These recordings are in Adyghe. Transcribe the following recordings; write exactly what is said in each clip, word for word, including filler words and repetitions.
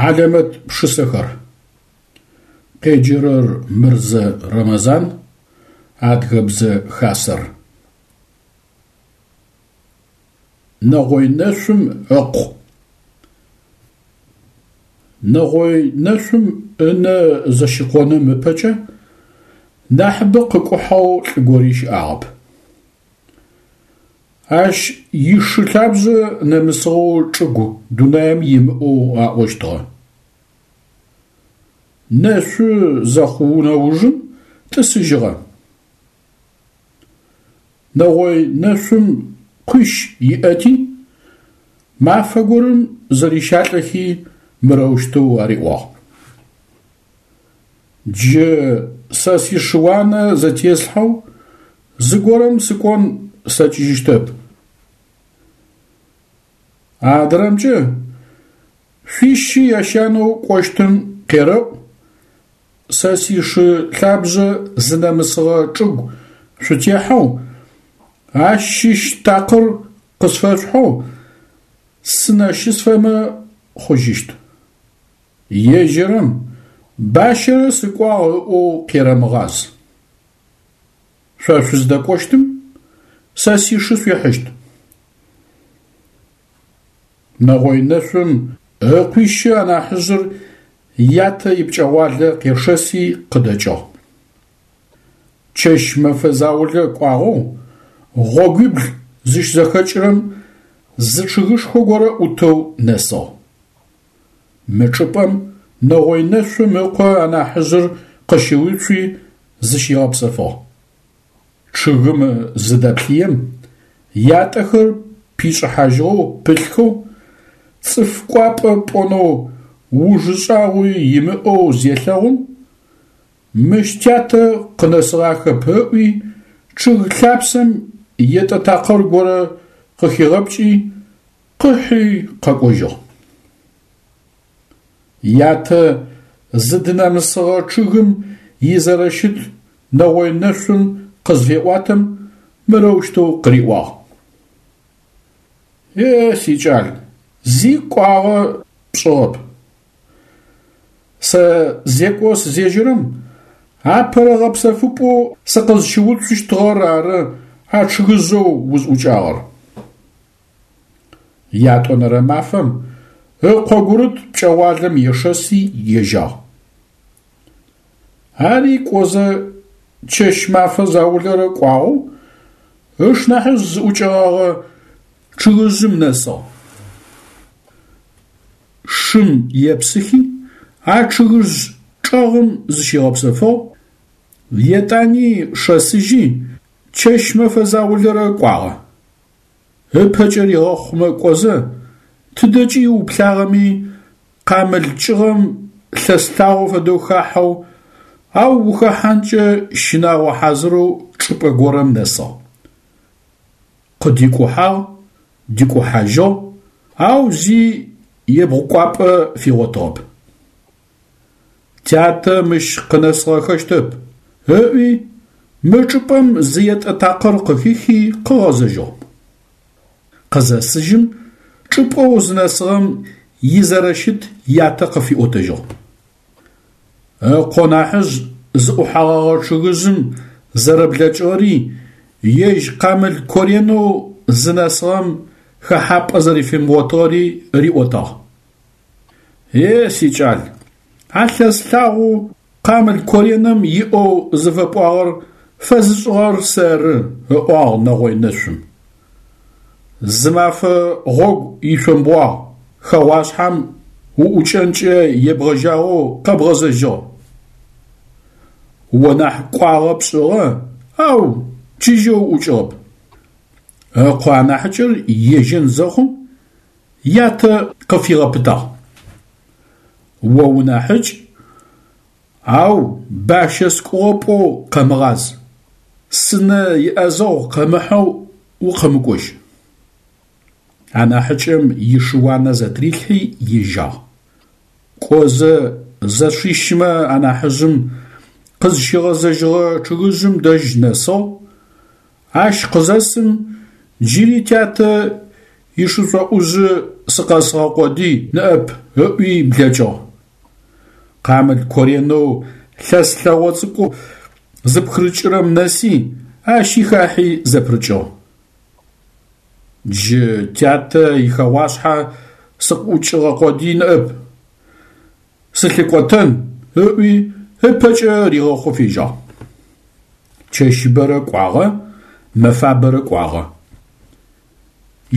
Хьалэмэт пшысэхэр. Къеджэрэр Мырзэ Рэмэзан, Адыгэбзэ Хасэр. Нэгъой Нэшъум ыкъу. Нэгъой Нэшъум ынэ зэщыкъоным ыпэкӏэ нахьыбэ къыкӏухьэу лӏы гори щыӏагъэп. Ащ ишы лъабжъэ нэмысыгъэу чӏыгу дунаим имыӏэу аӏощтыгъэ. Нэшъу зэхъу нэужым тӏысыжьыгъэ. Нэгъой Нэшъум къуищ иӏэти, мафэ горэм зэрищалӏэхи мырэущтэу ариӏуагъ: Джы сэ сишыуанэ зэтеслъхьэу зыгорэм сыкӏон слъэкӏыжьыщтэп. Адрэмкӏэ, шъуищи ящанэу кӏощтым къерэӏу, сэ сишы лъабжъэ зынэмысыгъэ чӏыгу шъутехьэу, ащ щыщ такъыр къысфэшъухьэу сынэ щысфэмэ хъужьыщт. Ежьырэм бащэрэ сыкӏуагъ ыӏоу къерэмыгъаз. Шъо шъуздэкӏощтым сэ сишы шъуихьыщт. Нэгъой Нэшъум ыкъуищы анахьыжъыр ятэ ипкӏэгъуалэ къешэси къыдэкӏыгъ. Чэщ-мэфэ заулэ кӏуагъэу гъогуибл зыщызэхэкӏырэм зы чъыгышхо горэ ӏутэу нэсыгъ. Мы чӏыпӏэм Нэгъой Нэшъум ыкъо анахьыжъыр къыщыуцуи зыщигъэпсэфыгъ. Чъыгым зыдэплъыем, ятӏэхэр пишӏыхьажьыгъэу пылъхэу, цӏыф кӏуапӏэ пӏонэу ужы шӏагъуи имыӏэу зелъэгъум, мыщ тятэ къынэсыгъахэп ыӏуи, чъыг лъапсэм етӏэ такъыр горэ къыхигъэпкӏи, къыхьи къэкӏожьыгъ. Ятэ зыдынэмысыгъэ чъыгым изэрэщыт Нэгъой Нэшъум къызфеӏуатэм мырэущтэу къыриӏуагъ: Е, сикӏал, зи кӏуагъэ пшӏыгъэп. Сэ зекӏо сызежьэрэм апэрэ гъэпсэфыпӏэу сыкъызщыуцущтыгъэр ары а чъыгыжъэу узӏукӏагъэр. Ятӏонэрэ мафэм ыкъо гурыт пкӏэгъуалэм ешэси ежьагъ. Ари кӏозэ чэщ-мэфэ заулэрэ кӏуагъэу ышнахьыжъ зыӏукӏэгъэгъэ чъыгыжъым нэсыгъ. Шым епсыхи, а чъыгыжъ чӏэгъым зыщигъэпсэфыгъ, етӏани шэсыжьи чэщ-мэфэ заулэрэ кӏуагъэ. Ыпэкӏэ ригъэхъумэ кӏозэ, тыдэкӏи уплъагъэми къамыл кӏыгъэм лъэс лъагъо фэдэу хахьэу, ау ухэхьанкӏэ щынагъо хьазырэу чӏыпӏэ горэм нэсыгъ. Къыдикӏухьагъ, дикӏухьажьыгъ, ау зи ебгъукӏуапӏэ фигъотыгъэп. Тятэ мыщ къынэсыгъэхэщтэп, ыӏуи мы чӏыпӏэм зы етӏэ такъыр къыхихи къыгъэзэжьыгъ. Къызэсыжьым чӏыпӏэу зынэсыгъэм изэрэщыт ятэ къыфиӏотэжьыгъ. Ыкъо нахьыжъ зыӏухьэгъэгъэ чъыгыжъым зэрэблэкӏыгъэри, ежь къамыл коренэу зынэсыгъэм хэхьапӏэ зэрэфимыгъотыгъэри риӏотагъ. Е, сикӏал, а лъэс лъагъоу къамыл кореным иӏэу зыфэпӏуагъэр фэзышӏыгъэр сэры, ыӏуагъ Нэгъой Нэшъум. Зы мафэ гъогу ишъомбгъуагъ, хэгъуашъхьэм уӏукӏэнкӏэ ебгъэжьагъэу къэбгъэзэжьыгъ. О нахь кӏуагъэ пшӏыгъэ, ау чыжьэу уӏукӏыгъэп. Ыкъо анахьыкӏэр ежьэн зэхъум ятэ къыфигъэпытагъ: О унахьыкӏ, ау бащэ скӏугъэ пӏоу къэмыгъаз, сынэ иӏэзэгъу къэмыхьэу укъэмыкӏожь. Анахьыкӏэм ишыуанэ зэтырилъхьи ежьагъ. Кӏозэ зэшищымэ анахьыжъым къызщигъэзэжьыгъэ чъыгыжъым дэжь нэсыгъ, ащ къызэсым джыри тятэ ишышӏоӏужъы сыкъэсыгъэ къодый ныӏэп, ыӏуи блэкӏыгъ. Къамыл коренэу лъэс лъэгъо цӏыкӏу зыпхырыкӏырэм нэси, ащи хахьи зэпырыкӏыгъ. Джы тятэ ихэгъуашъхьэ сыкъыӏукӏыгъэ къодый ныӏэп, сылъыкӏотэн, ыӏуи ыпэкӏэ ригъэхъоу фежьагъ. Чэщыбэрэ кӏуагъэ, мэфабэрэ кӏуагъэ.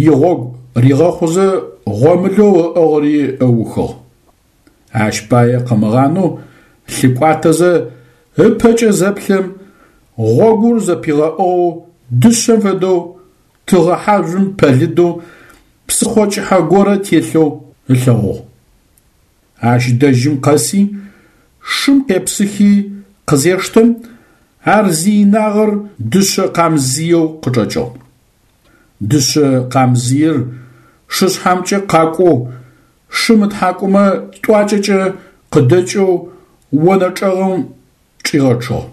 Игъогу ригъэхъузэ гъомылэу ыӏыгъыри ыухыгъ. Ащ пае къымыгъанэу лъыкӏуатэзэ ыпэкӏэ зэплъэм, гъогур зэпигъэӏугъэу дышъэм фэдэу тыгъэ хьажъум пэлыдэу псыхъо кӏыхьэ горэ телъэу ылъэгъугъ. Ащ дэжьым къэси, шым къепсыхи къызештэм, ар зиинагъэр дышъэ къамзыеу къычӏэкӏыгъ. Дышъэ къамзыер шышъхьэмкӏэ къакӏоу, шым ытхьакӏумэ тӏуакӏэкӏэ къыдэкӏэу онэ чӏэгъым чӏигъэчъыгъ.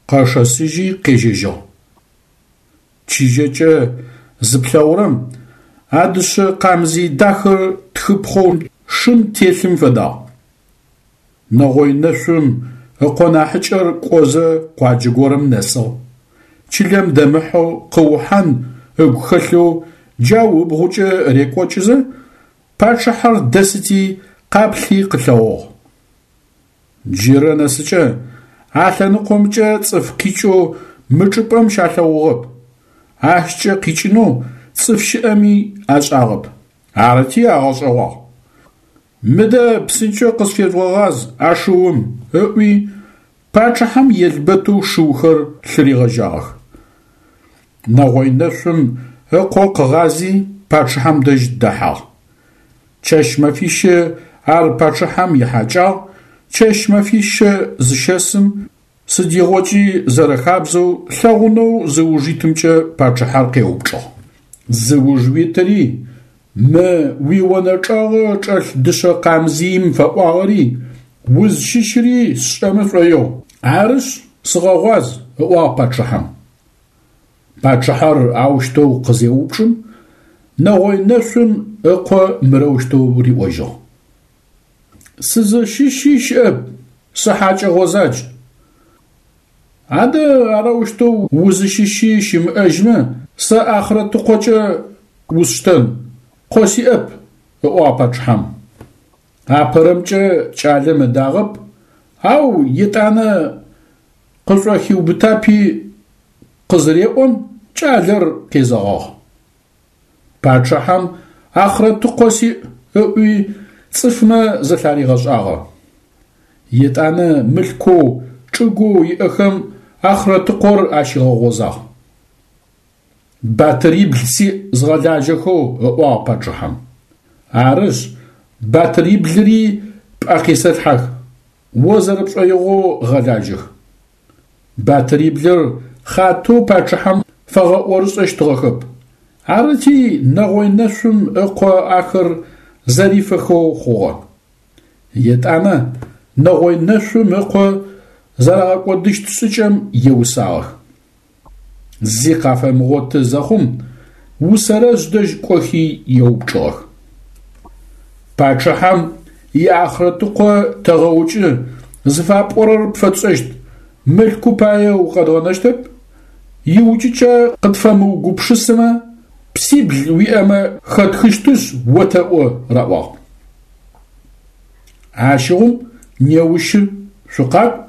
Къэшэсыжьи къежьэжьыгъ. Чыжьэкӏэ зыплъэгъурэм а дышъэ къамзый дахэр тхыпхъэу шым телъым фэдагъ. Нэгъой Нэшъум ыкъо нахьыкӏэр кӏозэ къуаджэ горэм нэсыгъ. Чылэм дэмыхьэу къыухьан ыгу хэлъэу джау ыбгъукӏэ рекӏокӏызэ, пачъыхьэр дэсыти къаплъи къылъэгъугъ. Джырэ нэсыкӏэ а лъэныкъомкӏэ цӏыф къикӏэу мы чӏыпӏэм щалъэгъугъэп, ащкӏэ къикӏынэу цӏыф щыӏэми ашӏагъэп. Арыти агъэшӏэгъуагъ. Мыдэ псынкӏэу къысфежъугъэгъаз а шыум, ыӏуи пачъыхьэм елбэтэу шыухэр лъыригъэжьагъэх. Нэгъой Нэшъум ыкъо къыгъази пачъыхьэм дэжь дэхьагъ. Чэщ-мэфищэ ар пачъыхьэм ихьакӏагъ, чэщ-мэфищэ зыщэсым, сыдигъокӏи зэрэхабзэу лъэгъунэу зыуж итымкӏэ пачъыхьэр къеупчӏыгъ. Зыуж уитыри, мы уионэ чӏэгъы чӏэлъ дышъэ къамзыим фэӏуагъэри, узщыщыри сшӏэмэ сшӏоигъу, арышъ, сыгъэгъуаз, ыӏуагъ пачъыхьэм. Пачъыхьэр аущтэу къызеупчӏым, Нэгъой Нэшъум ыкъо мырэущтэу риӏожьыгъ: Сызыщыщи щыӏэп, сыхьакӏэ гъозадж. Адэ арэущтэу узыщыщи щымыӏэжьмэ, сэ Ахърэтыкъокӏэ усштэн, къо сиӏэп, ыӏуагъ пачъыхьэм. Апэрэмкӏэ кӏалэм ыдагъэп, ау етӏанэ къышӏохиубытапи къызыреӏом, кӏалэр къезэгъыгъ. Пачъыхьэм Ахърэтыкъо сиӏ ыӏуи цӏыфмэ зэлъаригъэшӏагъэ. Етӏанэ мылъкоу, чӏыгоу иӏэхэм Ахърэтыкъор ащигъэгъозагъ. Батырибл сиӏ згъэлажьэхэу, ыӏуагъ пачъыхьэм. Арышъ, батыриблыри пӏэ къисэлъхьэх, о зэрэпшӏоигъоу гъэлажьэх. Батыриблыр хъатэу пачъыхьэм фэгъэӏорышӏэщтыгъэхэп. Арыти Нэгъой Нэшъум ыкъо ахэр зэрифэхэу хъугъэ. Етӏанэ Нэгъой Нэшъум ыкъо зэрагъэкӏодыщт шӏыкӏэм еусагъэх. Зи къафэмыгъоты зэхъум, Усэрэжъ дэжь кӏохи еупчӏыгъэх. Пачъыхьэм иахърэтыкъо тэгъэукӏы, зыфапӏорэр пфэтшӏэщт, мылъку пае укъэдгъэнэщтэп, иукӏыкӏэ къытфэмыугупшысымэ, псибл уиӏэмэ хэтхыщтышъ отэӏо, раӏуагъ. Ащыгъум неущы шъукъакӏу,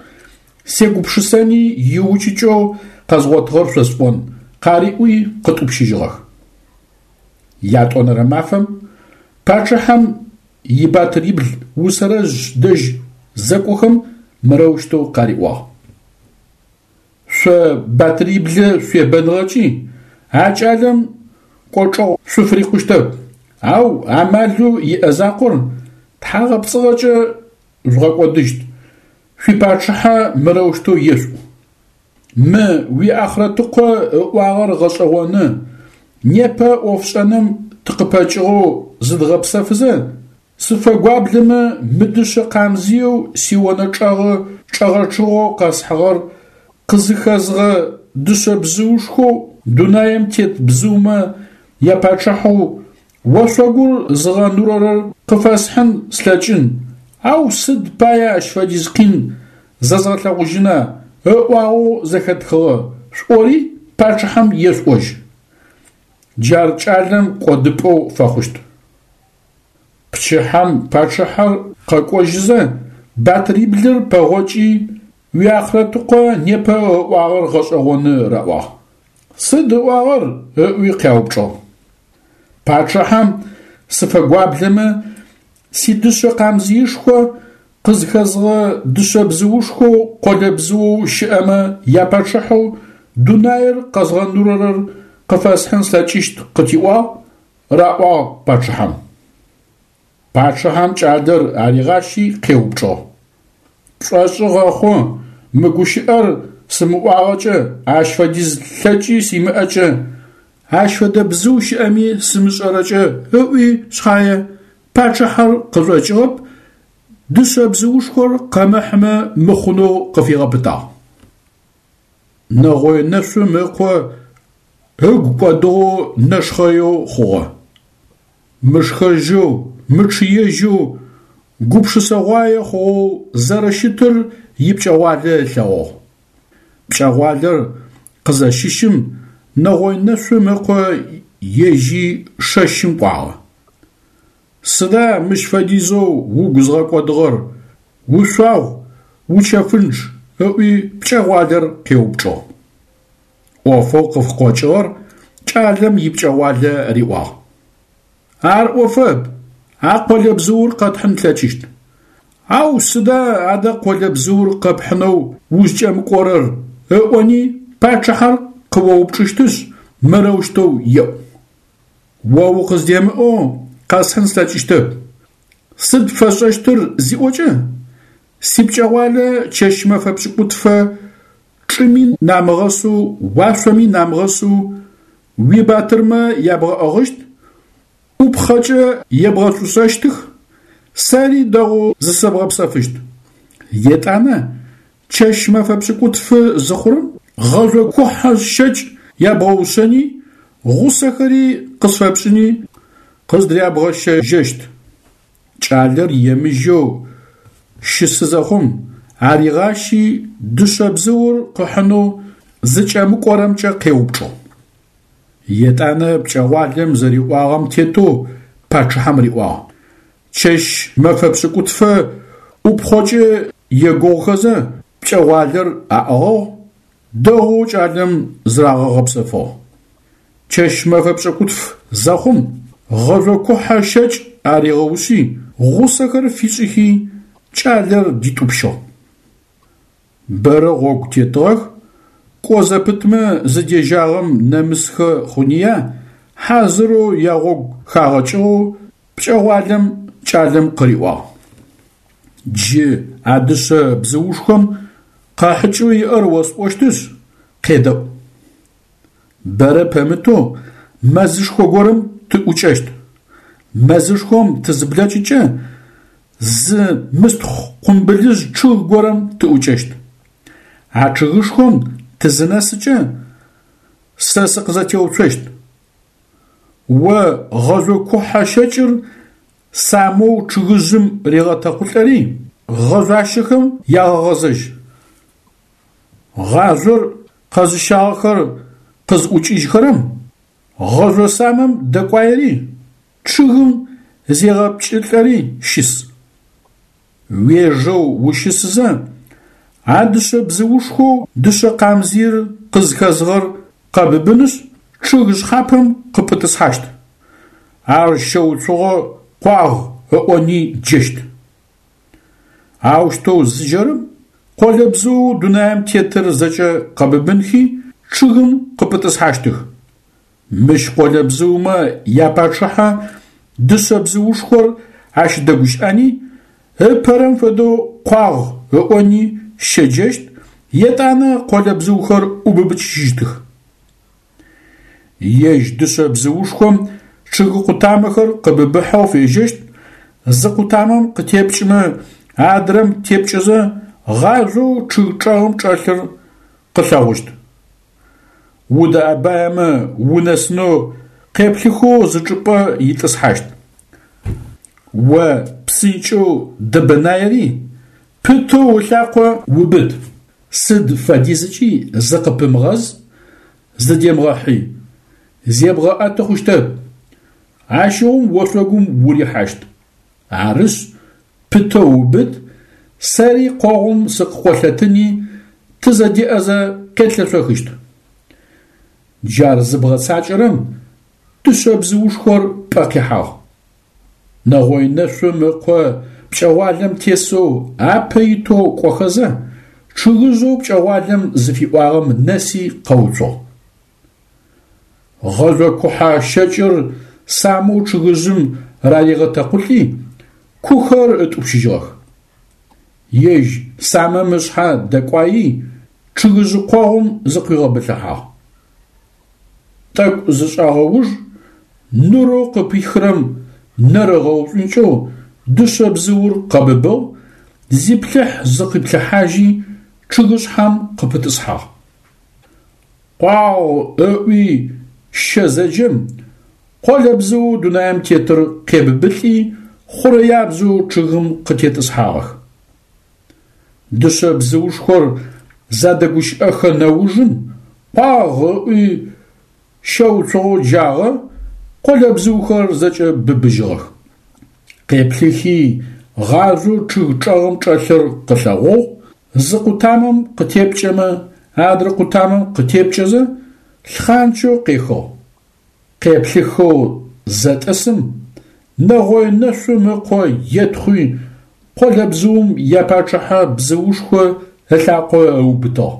сегупшысэни иукӏыкӏэу къэзгъотыгъэр шъосӏон, къариӏуи къытӏупщыжьыгъэх. Ятӏонэрэ мафэм пачъыхьэм ибатырибл Усэрэжъ дэжь зэкӏохэм мырэущтэу къариӏуагъ: Шъо батыриблэ шъуебэныгъэкӏи а кӏалэм кӏочӏэгъу шъуфырикъущтэп, ау амалэу иӏэ закъор тхьагъэпцӏыгъэкӏэ жъугъэкӏодыщт, шъуипачъыхьэ мырэущтэу ешъуӏу: Мы уиахърэтыкъо ыӏуагъэр гъэшӏэгъоны, непэ ӏофшӏэным тыкъыпэкӏыгъэу зыдгъэпсэфызэ, сыфэгуаблэмэ мы дышъэ къамзыеу сионэ чӏэгъы чӏэгъэчъыгъэу къэсхьыгъэр къызыхэзыгъэ дышъэ бзыушхоу дунаим тет бзыумэ япачъыхьэу Ошъогур зыгъэнурэрэр къыфэсхьын слъэкӏын, ау сыд пае ащ фэдиз къин зэзгъэлъэгъужьына ыӏуагъэу зэхэтхыгъэ, шъуӏори пачъыхьэм ешъуӏожь. Джар кӏалэм кӏодыпӏэу фэхъущт. Пчыхьэм пачъыхьэр къэкӏожьызэ, батыриблыр пэгъокӏи, уиахърэткъо непэ ыӏуагъэр гъэшӏэгъоны раӏуагъ. Сыд ыӏуагъэр? ыӏуи къяупчӏыгъ. Пачъыхьэм сыфэгуаблэмэ, сидышъэ къамзыишхо къызхэзыгъэ дышъэ бзыушхоу къолэбзыоу щыӏэмэ япачъыхьэу дунаир къэзгъэнурэрэр къыфэсхьын слъэкӏыщт къытиӏуагъ, раӏуагъ пачъыхьэм. Пачъыхьэм кӏалэр аригъащи къеупчӏыгъ: Пшӏошъы гъэхъу мы гущыӏэр сымыӏуагъэкӏэ, ащ фэдиз лъэкӏи симыӏэкӏэ, ащ фэдэ бзыу щыӏэми сымышӏэрэкӏэ ыӏуи шъхьае, пачъыхьэр къышӏокӏыгъэп, дышъэ бзыушхор къымыхьымэ мыхъунэу къыфигъэпытагъ. Нэгъой Нэшъум ыкъо ыгу кӏодыгъэу нэшхъэеу хъугъэ. Мышхэжьэу, мычъыежьэу, гупшысэгъуае хъугъэу зэрэщытыр ипкӏэгъуалэ ылъэгъугъ. Пкӏэгъуалэр къызэщыщым Нэгъой Нэшъум ыкъо ежьи шэщым кӏуагъэ. Сыда мыщ фэдизэу угу зыгъэкӏодыгъэр, ушъуагъу, учэфынчъ? ыӏуи пкӏэгъуалэр къеупчӏыгъ. Ӏофэу къыфыкъокӏыгъэр кӏалэм ипкӏэгъуалэ риӏуагъ. Ар ӏофэп, а къолэбзыур къэтхьын тлъэкӏыщт. Ау сыда адэ къолэбзыур къэпхьынэу узкӏэмыкӏорэр ыӏони пачъыхьэр къыоупчӏыщтышъ, мырэущтэу еӏу: О укъыздемыӏэу къэсхьын слъэкӏыщтэп. Сыд пфэсшӏэщтыр зиӏокӏэ, сипкӏэгъуалэ чэщ-мэфэ пшӏыкӏутфэ чӏыми намыгъэсэу уашъоми намыгъэсэу уибатырмэ ябгъэӏыгъыщт, ӏупхъэкӏэ ебгъэшӏушӏэщтых, сэри дэгъоу зысэбгъэпсэфыщт. Етӏанэ чэщ-мэфэ пшӏыкӏутфы зыхъурэм гъэжъо кухьэ щэкӏ ябгъэушъэни, гъусэхэри къысфэпшӏыни къыздрябгъэщэжьэщт. Кӏалэр емыжэу щысы зэхъум, аригъащи дышъэ бзыур къыхьынэу зыкӏэмыкӏорэмкӏэ къеупчӏыгъ. Етӏанэ пкӏэгъуалэм зэриӏуагъэм тетэу пачъыхьэм риӏуагъ. Чэщ-мэфэ пшӏыкӏутфэ ӏупхъокӏэ егугъухэзэ пкӏэгъуалэр аӏыгъыгъ, дэгъоу кӏалэм зырагъэгъэпсэфыгъ. Чэщ-мэфэ пшӏыкӏутф зэхъум гъэжъо кухьэ щэкӏ аригъэушъи, гъусэхэр фишӏыхи, кӏалэр дитӏупщыгъ. Бэрэ гъогу тетыгъэх, кӏо зэпытмэ зыдежьагъэм нэмысхэ хъуныя, хьазырэу ягъогу хагъэкӏыгъэу пкӏэгъуалэм кӏалэм къыриӏуагъ: Джы а дышъэ бзыушхом къэхьыкӏэу иӏэр осӏощтышъ, къедэӏу. Бэрэ пэмытэу мэзышхо горэм тыӏукӏэщт. Мэзышхом тызыблэкӏыкӏэ зы мыстхъу къумбылыжъ чъыг горэм тыӏукӏэщт. А чъыгышхом тызынэсыкӏэ сэ сыкъызэтеуцощт. О гъэжъо кухьэ щэкӏыр самэу чъыгыжъым регъэтэкъулӏэри гъэжъуащэхэм ягъэгъэзэжь. Гъажъор къэзыщагъэхэр къызӏукӏыжьхэрэм гъэжъо самэм дэкӏуаери чъыгым зегъэпкӏылӏэри щыс. Уежэу ущысызэ, а дышъэ бзыушхоу дышъэ къамзыир къызхэзыгъэр къэбыбынышъ, чъыг шъхьапэм къыпытӏысхьащт. Ар щэуцугъо къуагъ ыӏони джэщт. Аущтэу зыджэрэм къолэбзыоу дунаим тетыр зэкӏэ къэбыбынхи чъыгым къыпытӏысхьащтых. Мыщ къолэбзыумэ япачъыхьэ дышъэ бзыушхор ащ дэгущыӏэни, ыпэрэм фэдэу къуагъ ыӏони щэджэщт, етӏанэ къолэбзыухэр ӏубыбыкӏыжьыщтых. Ежь дышъэ бзыушхом чъыг къутамэхэр къыбыбыхьэу фежьэщт, зы къутамэм къытепкӏымэ адрэм тепкӏэзэ гъажъоу чъыг чӏэгъым чӏэлъыр къылъэгъущт. Удэӏэбаемэ унэсынэу къеплъыхэу зы чӏыпӏэ итӏысхьащт. О псынкӏэу дэбэнаери, пытэу ылъакъо убыт. Сыд фэдизыкӏи зыкъыпымыгъэз, зыдемыгъэхьый, зебгъэӏэты хъущтэп. Ащыгъум ошъогум урихьащт. Арышъ, пытэу убыт, сэри къогъум сыкъыкъолъэтыни тызэдеӏэзэ къетлъэшъохыщт. Джар зыбгъэцакӏэрэм дышъэ бзыушхор пӏэ къихьагъ. Нэгъой Нэшъум ыкъо пкӏэгъуалэм тесэу апэ итэу кӏохэзэ, чъыгыжъэу пкӏэгъуалэм зыфиӏуагъэм нэси къэуцугъ. Гъэжъо кухьэ щэкӏыр самэу чъыгыжъым раригъэтэкъулӏи, кухэр ытӏупщыжьыгъэх. Ежь самэм ышъхьэ дэкӏуаий, чъыгыжъы къогъум зыкъуигъэбылъыхьагъ. Тӏэкӏу зышӏагъэ уж нурэу къыпихрэм нэр ыгъэушӏункӏэу дышъэ бзыур къэбыбыгъ, зиплъыхь-зыкъиплъыхьажьи чъыгышъхьэм къыпытӏысхьагъ. Къуагъ ыӏуи щэ зэджэм, къолэбзыоу дунаим тетыр къебыбылӏи, хъурэябзэу чъыгым къытетӏысхьагъэх. Дышъэ бзыушхор задэгущыӏэхэ нэужым къуагъ ыӏуи щэуцугъэу джагъэ, къолэбзыухэр зэкӏэ быбыжьыгъэх. Къеплъыхи гъажъоу чъыг чӏэгъым чӏэлъыр къылъэгъугъ, зы къутамэм къытепкӏэмэ адрэ къутамэм къытепкӏэзэ лъхъанчэу къехыгъ. Къеплъыхэу зэтӏысым, Нэгъой Нэшъум ыкъо етхъуи къолэбзыум япачъыхьэ бзыушхо ылъакъо ыубытыгъ.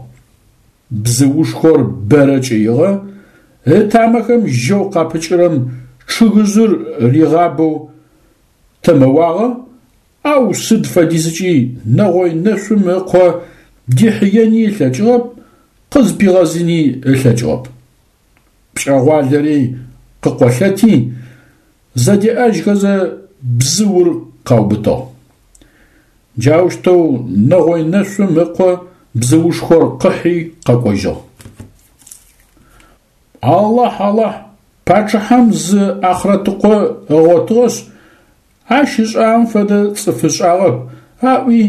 Бзыушхор бэрэ кӏыигъэ, ытамэхэм жьэу къапыкӏырэм чъыгыжъыр ригъабэу тэмэуагъэ, ау сыд фэдизыкӏи Нэгъой Нэшъум ыкъо дихьыени ылъэкӏыгъэп, къызпигъэзыни ылъэкӏыгъэп. Пкӏэгъуалэри къыкъолъэти, зэдеӏэжьхэзэ бзыур къаубытыгъ. Джаущтэу Нэгъой Нэшъум ыкъо бзыушхор къыхьи къэкӏожьыгъ. Алахь, Алахь, пачъыхьэм зы ахърэтыкъо ыгъотыгъэшъ, ащ ышӏагъэм фэдэ цӏыф ышӏагъэп, аӏуи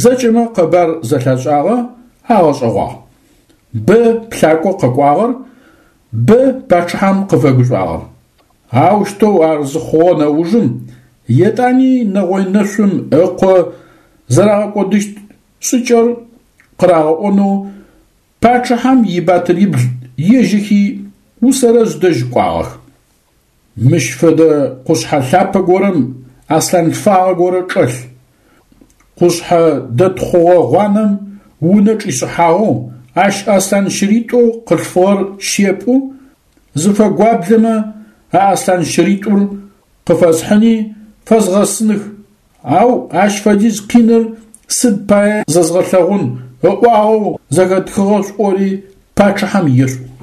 зэкӏэмэ къэбар зэлъашӏагъэ, агъэшӏэгъуагъ. Бэ плъакӏо къэкӏуагъэр, бэ пачъыхьэм къыфэгушӏуагъэр. Аущтэу ар зыхъугъэ нэужым етӏани Нэгъой Нэшъум ыкъо зэрагъэкӏодыщт шӏыкӏэр къырагъэӏонэу пачъыхьэм ибатырибл ежьэхи Усэрэжъ дэжь кӏуагъэх. Мыщ фэдэ къушъхьэ лъапэ горэм аслъан лъфагъэ горэ чӏэлъ. Къушъхьэ дэтхъугъэ гъуанэм унэ чӏишӏыхьагъэу, ащ аслъан щыритӏоу къылъфыгъэр щепӏу, зыфэгуаблэмэ а аслъан щыритӏур къыфэсхьыни фэзгъэсыных, ау ащ фэдиз къиныр сыд пае зэзгъэлъэгъун ыӏуагъэу зэхэтхыгъэ шӏори пачъыхьэм ешъуӏу.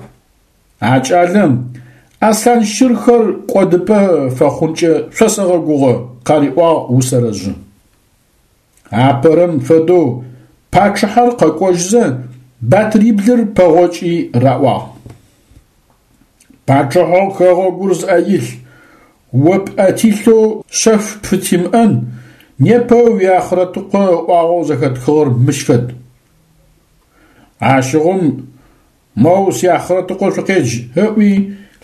А кӏалэм аслъан щырхэр кӏодыпӏэ фэхъункӏэ шъосэгъэгугъэ, къариӏуагъ Усэрэжъы. Апэрэм фэдэу пачъыхьэр къэкӏожьызэ батыриблыр пэгъокӏи раӏуагъ: Пачъыхьэу хэгъэгур зыӏэ илъ, о пӏэ тилъэу шъэф пфытимыӏэн, непэ уиахърэтыкъо ыӏуагъэу зэхэтхыгъэр мыщ фэд. Ащыгъум моу сиахърэтыкъо шъукъедж, ыӏуи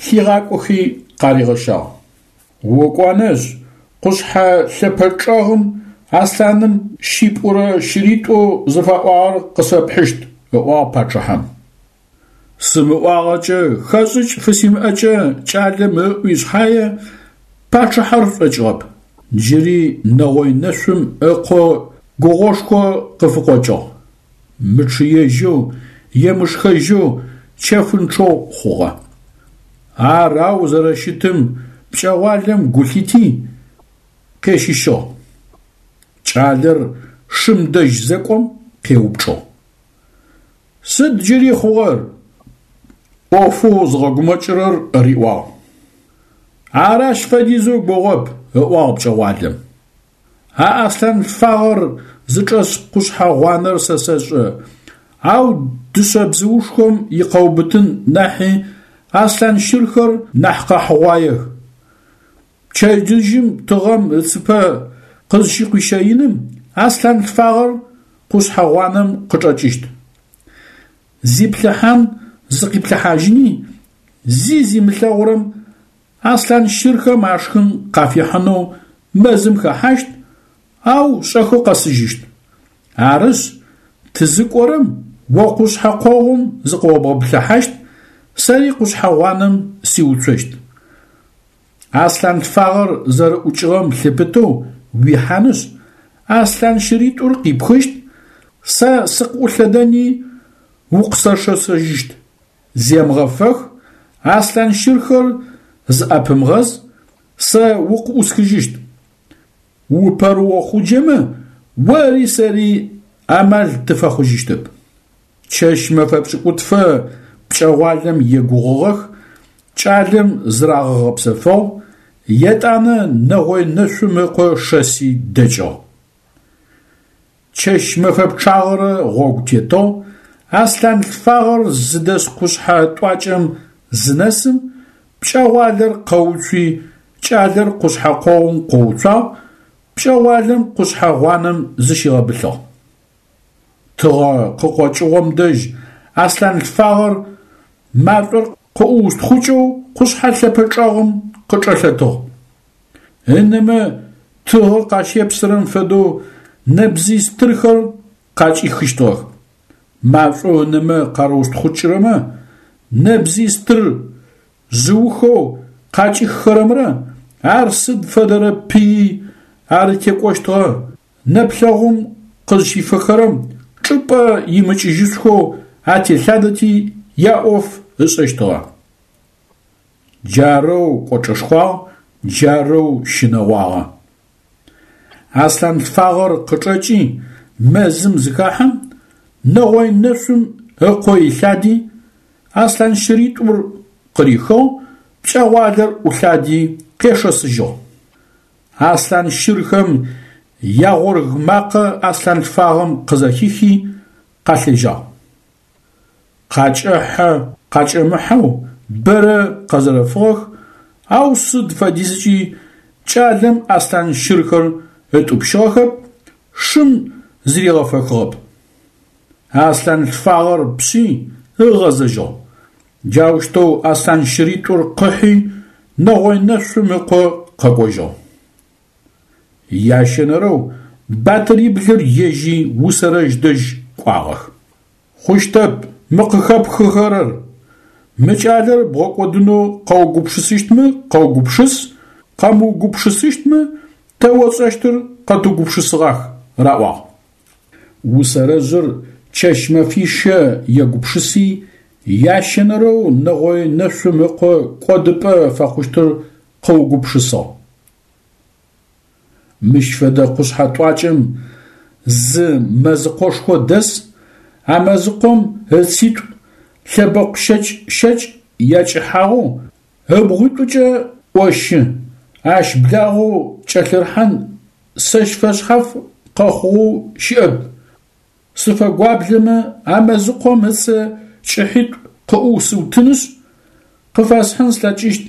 лъигъакӏохи къаригъэщагъ. Окӏонышъ, къушъхьэ лъэпэ чӏэгъым аслъаным щипӏурэ щыритӏоу зыфаӏуагъэр къысфэпхьыщт, ыӏуагъ пачъыхьэм. Сымыӏуагъэкӏэ, хэшӏыкӏ фысимыӏэкӏэ кӏалэм ыӏуи шъхьае, пачъыхьэр шӏокӏыгъэп. Джыри Нэгъой Нэшъум ыкъо гугъошхо къыфыкъокӏыгъ. Мычъыежьэу, емышхэжьэу, чэфынчъэу хъугъэ. Ар ау зэрэщытым пкӏэгъуалэм гу лъити, къещыщыгъ. Кӏалэр шым дэжь зэкӏом къеупчӏыгъ: Сыд джыри хъугъэр? Ӏофэу зыгъэгумэкӏырэр риӏуагъ. Ар ащ фэдизэу гугъоп, ыӏуагъ пкӏэгъуалэм. А аслъан лъфагъэр зычӏэс къушъхьэ гъуанэр сэ сэшӏэ, ау дышъэ бзыушхом икъэубытын нахьи Аслъан щырхэр нахь къэхьыгъуаех. Пчэдыжьым тыгъэм ыцыпэ къызщыкъуищэиным аслъан лъфагъэр къушъхьэ гъуанэм къычӏэкӏыщт. Зиплъыхьан зыкъиплъыхьажьыни, зи зимылъэгъурэм аслъан щырхэм ашхын къафихьынэу мэзым хэхьащт, ау шӏэхэу къэсыжьыщт. Арышъ, тызыкӏорэм о къушъхьэ къогъум зыкъыобгъэплъыхьащт, сэри къушъхьэ гъуанэм сиуцощт. Аслъан лъфагъэр зэрэӏукӏыгъэм лъыпытэу уихьанышъ, аслъан щыритӏур къипхыщт, сэ сыкъыӏулъэдэни укъысэшэсыжьыщт. Земыгъэфэх, аслъан щырхэр зыӏэпымыгъэз, сэ укъыӏусхыжьыщт. Упэрыохъуджэмэ, ори сэри амал тыфэхъужьыщтэп. Чэщ-мэфэ пшӏыкӏутфэ пкӏэгъуалэм егугъугъэх, кӏалэм зырагъэгъэпсэфыгъ, етӏанэ нэгъой нэшъум ыкъо шэси дэкӏыгъ. Чэщ-мэфэ пчъагъэрэ гъогу тетыгъ, аслъан лъфагъэр зыдэс къушъхьэ тӏуакӏэм зынэсым, пкӏэгъуалэр къэуцуи, кӏалэр къушъхьэ къогъум къоуцуагъ, пкӏэгъуалэм къушъхьэ гъуанэм зыщигъэбылъыгъ. Тыгъэ къыкъокӏыгъом дэжь аслъан лъфагъэр машӏор къыӏуустхъукӏэу къушъхьэ лъэпэ чӏэгъым къычӏэлъэтыгъ. Ынэмэ тыгъэ къащепсырэм фэдэу нэбзый стырхэр къакӏихыщтыгъэх. Машӏоу ынэмэ къарыустхъукӏырэмэ нэбзый стыр жъыухэу къакӏиххэрэмрэ ар сыд фэдэрэ пыий арытекӏощтыгъэ, нэплъэгъум къызщифэхэрэм чӏыпӏэ имыкӏыжьышъухэу ателъадэти яӏоф ышӏэщтыгъэ. Джарэу кӏочӏэшхуагъ, джарэу щынэгъуагъэ. Аслъан лъфагъэр къычӏэкӏи мэзым зыхэхьэм, нэгъой нэшъум ыкъо илъади, аслъан щыритӏур къырихыгъ, пкӏэгъуалэр ӏулъади къешэсыжьыгъ. Аслъан щырхэм ягъорг макъэ аслъан лъфагъэм къызэхихи къалъежьагъ. Къакӏэхьэ-къакӏэмыхьэу бэрэ къэзэрэфыгъэх, ау сыд фэдизкӏи кӏалэм аслъан щырхэр ытӏупщыгъэхэп, шым зыригъэфэхыгъэп. Аслъан лъфагъэр пшъи ыгъэзэжьыгъ. Джаущтэу аслъан щыритӏур къыхьи нэгъой нэшъум ыкъо къэкӏожьыгъ. Ящэнэрэу батыриблыр ежьи Усэрэжъ дэжь кӏуагъэх. Хъущтэп мы къыхэпхыхэрэр, мы кӏалэр бгъэкӏодынэу къэугупшысыщтмэ къэугупшыс, къэмыугупшысыщтмэ тэ отшӏэщтыр къэтыугупшысыгъах, раӏуагъ. Усэрэжъыр чэщ-мэфищэ егупшыси, ящэнэрэу нэгъой нэшъум ыкъо кӏодыпӏэ фэхъущтыр къыугупшысыгъ. Мыщ фэдэ къушъхьэ тӏуакӏэм зы мэзыкъошхо дэс, а мэзыкъом ыцитӏу лъэбэкъу щэкӏ-щэкӏ якӏыхьагъэу ыбгъуитӏукӏэ ӏощы, ащ благъэу кӏэлъырхьан сэщ фэшъхьаф къэхъугъэу щыӏэп. Сыфэгуаблэмэ, а мэзыкъом ыцэ кӏыхьитӏу къыӏусыутынышъ, къыфэсхьын слъэкӏыщт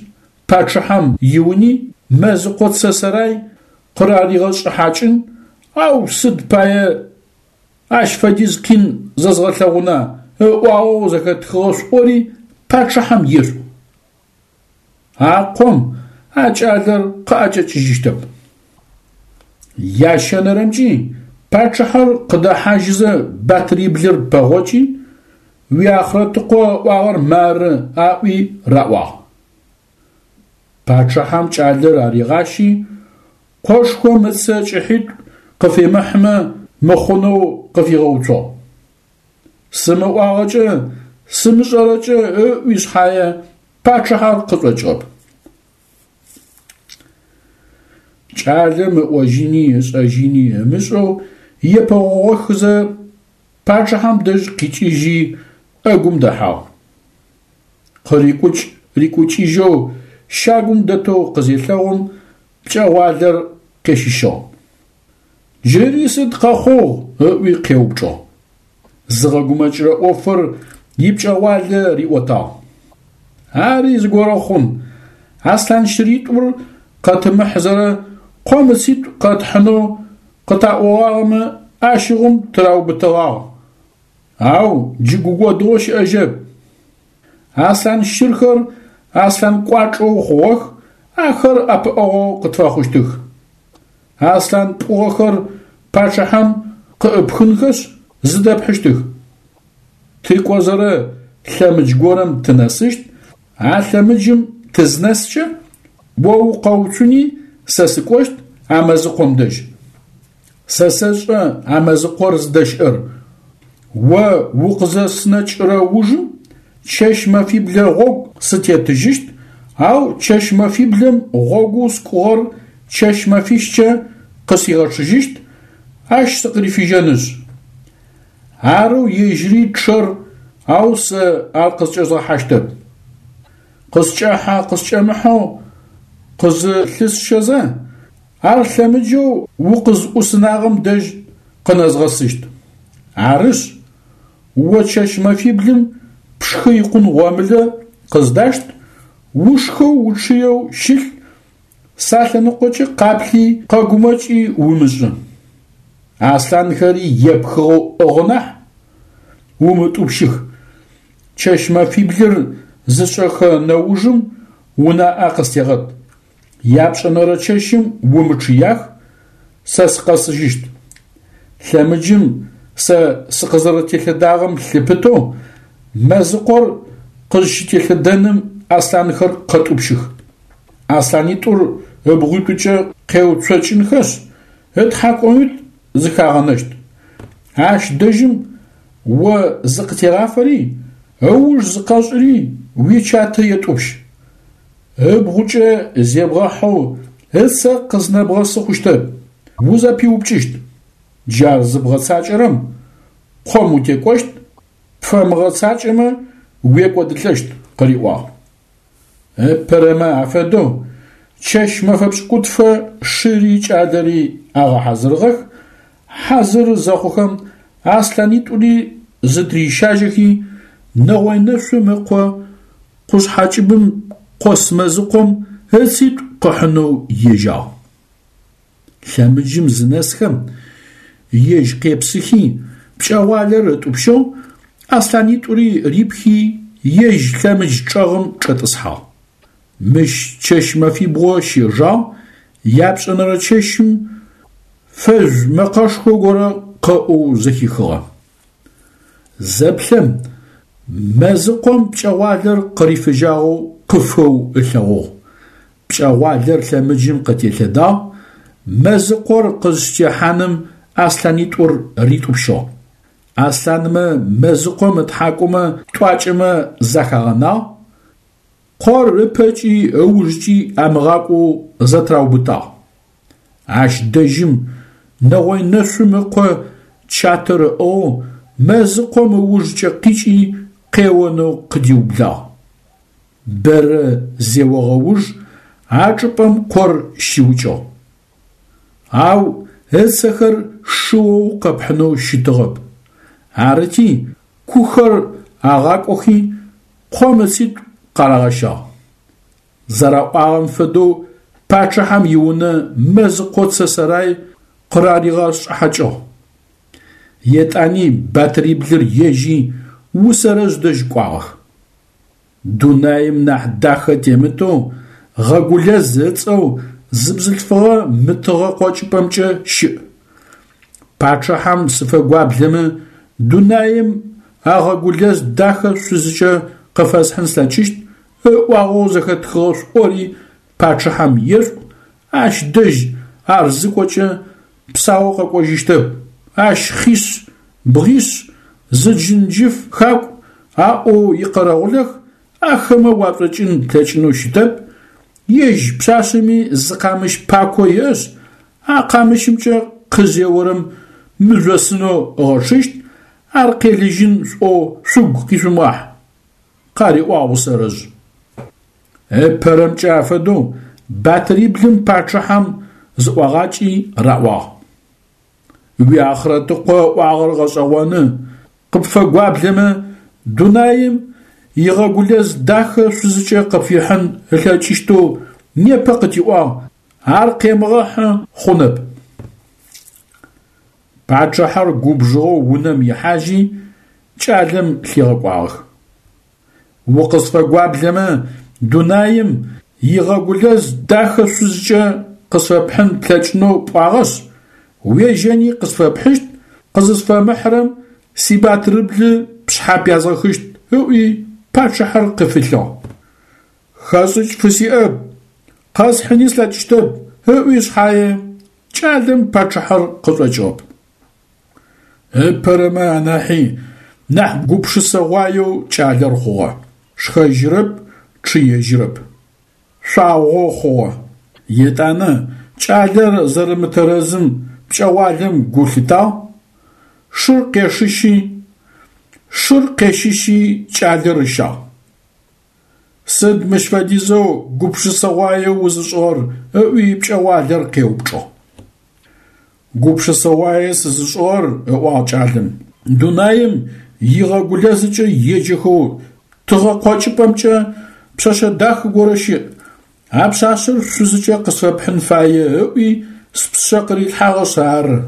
пачъыхьэм иуни мэзыкъо цэ сэрай къыраригъэшӏыхьакӏын, ау сыд пае ащ фэдиз къин зэзгъэлъэгъуна ыӏуагъэу зэхэтхыгъэ шъуӏори пачъыхьэм ешъуӏу. А къом а кӏалэр къыӏэкӏэкӏыжьыщтэп. Ящэнэрэмкӏи пачъыхьэр къыдэхьажьызэ батыриблыр пэгъокӏи, уиахърэтыкъо ыӏуагъэр мары аӏуи раӏуагъ. Пачъыхьэм кӏалэр аригъащи, къошхом ыцэ кӏыхьитӏу къыфимыхьымэ мыхъунэу къыфигъэуцугъ. Сымыӏуагъэкӏэ, сымышӏэрэкӏэ ыӏуи шъхьае пачъыхьэр къышӏокӏыгъэп. Кӏалэм ыӏожьыни ышӏэжьыни ымышӏэу епэгъогъохызэ пачъыхьэм дэжь къикӏыжьи ӏэгум дэхьагъ. Къырикӏукӏ-рикӏукӏыжьэу щагум дэтэу къызелъэгъум пкӏэгъуалэр къещыщыгъ. Джыри сыд къэхъугъ? Ыӏуи къеупчӏыгъ. Зыгъэгумэкӏырэ ӏофыр ипкӏэгъуалэ риӏотагъ. Ари зыгорэ хъун, аслъан щыритӏур къэтымыхьызэрэ къом ыцитӏу къэтхьынэу къытаӏогъагъэмэ, ащыгъум тыраубытэгъагъ. Ау джы гукӏодыгъо щыӏэжьэп. Аслъан щырхэр аслъан кӏуачӏэу хъугъэх, ахэр ӏэпыӏэгъоу къытфэхъущтых. Аслъан пӏугъэхэр пачъыхьэм къыӏыпхынхэшъ зыдэпхьыщтых. Тыкӏозэрэ лъэмыдж горэм тынэсыщт, а лъэмыджым тызнэскӏэ, о укъэуцуни сэ сыкӏощт а мэзыкъом дэжь. Сэ сэшӏэ а мэзыкъор зыдэщыӏэр. О укъызэсынэкӏырэ ужым чэщ-мэфиблэ гъогу сытетыжьыщт, ау чэщ-мэфиблэм гъогоу скӏугъэр чэщ-мэфищкӏэ къысигъэчъыжьыщт, ащ сыкъырифыжьэнышъ. Арэу ежьыри чъэр, ау сэ ар къызкӏэзгъэхьащтэп. Къыскӏэхьэ-къыскӏэмыхьэу къызылъысщэзэ, ар лъэмыджэу укъызӏусынагъэм дэжь къынэзгъэсыщт. Арышъ, о чэщ-мэфиблым пшхы икъун гъомылэ къыздашт, ушхэу учъыеу щылъ, салъэныкъокӏэ къаплъи къэгумэкӏи умышӏы. Аслъанхэри епхыгъэу ӏыгъы нахь, умытӏупщых. Чэщ-мэфиблыр зышӏэхэ нэужым унаӏэ къыстегъэт. Япшӏэнэрэ чэщым умычъыях, сэ сыкъэсыжьыщт. Лъэмыджым сэ сыкъызэрэтелъэдагъэм лъыпытэу мэзыкъор къызщытелъэдэным аслъанхэр къэтӏупщых. Аслъанитӏур ыбгъуитӏукӏэ къеуцокӏынхэшъ, ытхьакӏумитӏу зыхагъэнэщт. Ащ дэжьым о зыкъытегъафэри, ыуж зыкъэшӏыри уичатэ етӏупщ. Ыбгъукӏэ зебгъэхьэу ыцэ къызнэбгъэсы хъущтэп, узэпиупкӏыщт. Джар зыбгъэцакӏэрэм къом утекӏощт, пфэмыгъэцакӏэмэ уекӏодылӏэщт, къыриӏуагъ. Ыпэрэмэ афэдэу чэщ-мэфэ пшӏыкӏутфэ шыри кӏалэри агъэхьазырыгъэх, хьазыры зэхъухэм аслъанитӏури зытырищажьэхи, Нэгъой Нэшъум ыкъо къушъхьэкӏыбым къос мэзыкъом ыцитӏу къыхьынэу ежьагъ. Лъэмыджым зынэсхэм, ежь къепсыхи, пкӏэгъуалэр ытӏупщыгъ, аслъанитӏури рипхи, ежь лъэмыдж чӏэгъым чӏэтӏысхьагъ. Мыщ чэщ-мэфибгъо щежагъ, япшӏэнэрэ чэщым фэжъу мэкъэшхо горэ къэӏоу зэхихыгъэ. Зэплъэм мэзыкъом пкӏэгъуалэр къырифыжьагъэу къыфэу ылъэгъугъ. Пкӏэгъуалэр лъэмыджым къытелъэдагъ, мэзыкъор къызщытехьаным аслъанитӏур ритӏупщыгъ. Аслъанмэ мэзыкъом ытхьакӏумэ тӏуакӏэмэ захагъэнагъ, къор ыпэкӏи ыужкӏи амыгъакӏоу зэтыраубытагъ. Ащ дэжьым Нэгъой Нэшъум ыкъо чатэр ыӏыгъэу мэзыкъом ыужкӏэ къикӏи къеонэу къыдиублагъ. Бэрэ зеогъэ уж а чӏыпӏэм къор щиукӏыгъ. Ау ыцэхэр шыоу къэпхьынэу щытыгъэп. Арыти, кухэр агъакӏохи, къом ыцитӏу къарагъэщагъ. Зэраӏуагъэм фэдэу пачъыхьэм иунэ мэзыкъо цэсэрай къыраригъэшӏыхьакӏыгъ. Етӏани батыриблыр ежьи Усэрэжъ дэжь кӏуагъэх. Дунаим нахь дахэ темытэу Гъэгулэз ыцӏэу зы бзылъфыгъэ мытыгъэ къокӏыпӏэмкӏэ щыӏ. Пачъыхьэм сыфэгуаблэмэ, дунаим а Гъэгулэз дахэ шъузыкӏэ къыфэсхьын слъэкӏыщт, ыӏуагъэу зэхэтхыгъэ шӏори пачъыхьэм ешӏу, ащ дэжь ар зыкӏокӏэ псаоу къэкӏожьыщтэп, ащ хъишъ, бгъишъ, зы джынджыф хакӏу аӏоу икъэрэгъулэх, ахэмэ уашӏокӏын плъэкӏынэу щытэп, ежь пшъашъэми зы къамыщ пако иӏэшъ, а къамыщымкӏэ къызеорэм мыжъосынэу ыгъэчъыщт, ар къелыжьын шӏоу шъугу къишъумыгъахь, къариӏуагъ Усэрэжъ. Ыпэрэмкӏэ афэдэу батыриблым пачъыхьэм зыӏуагъакӏи раӏуагъ. Уиахърэтыкъо ыӏуагъэр гъэшӏэгъоны, къыпфэгуаблэмэ, дунаим игъэгулэз дахэ шъузыкӏэ къыпфихьын ылъэкӏыщтэу непэ къытиӏуагъ, ар къемыгъэхьы хъунэп. Пачъыхьэр губжыгъэу унэм ихьажьи кӏалэм лъигъэкӏуагъэх. Укъысфэгуаблэмэ дунаим игъэгулэз дахэ шъузкӏэ къысфэпхьын плъэкӏынэу пӏуагъэшъ, уежьэни къысфэпхьыщт, къызысфэмыхьырэм сибатырыблы пшъхьэ пязгъэхыщт, ыӏуи пачъыхьэр къыфилъыгъ. Хэшӏыкӏ фысиӏэп, къэсхьыни слъэкӏыщтэп, ыӏуи шъхьае, кӏалэм пачъыхьэр къышӏокӏыгъэп. Ыпэрэмэ анахьи нахь гупшысэгъуаеу кӏалэр хъугъэ: шхэжьырэп, чъыежьырэп. Шъуагъо хъугъэ. Етӏанэ кӏалэр зэрэмытэрэзым пкӏэгъуалэм гу лъитагъ, шыр къешыщи, шыр къещыщи кӏалэр ыщагъ. Сыд мыщ фэдизэу гупшысэгъуае узышӏыгъэр? – ыӏуи пкӏэгъуалэр къеупчӏыгъ. Гупшысэгъуае сызышӏыгъэр, – ыӏуагъ кӏалэм, – дунаим игъэгулэзыкӏэ еджэхэу тыгъэ къокӏыпӏэмкӏэ пшъэшъэ дахэ горэ щыӏ, а пшъашъэр шъузыкӏэ къысфэпхьын фае ыӏуи спшъэ къырилъхьагъэшъ ары.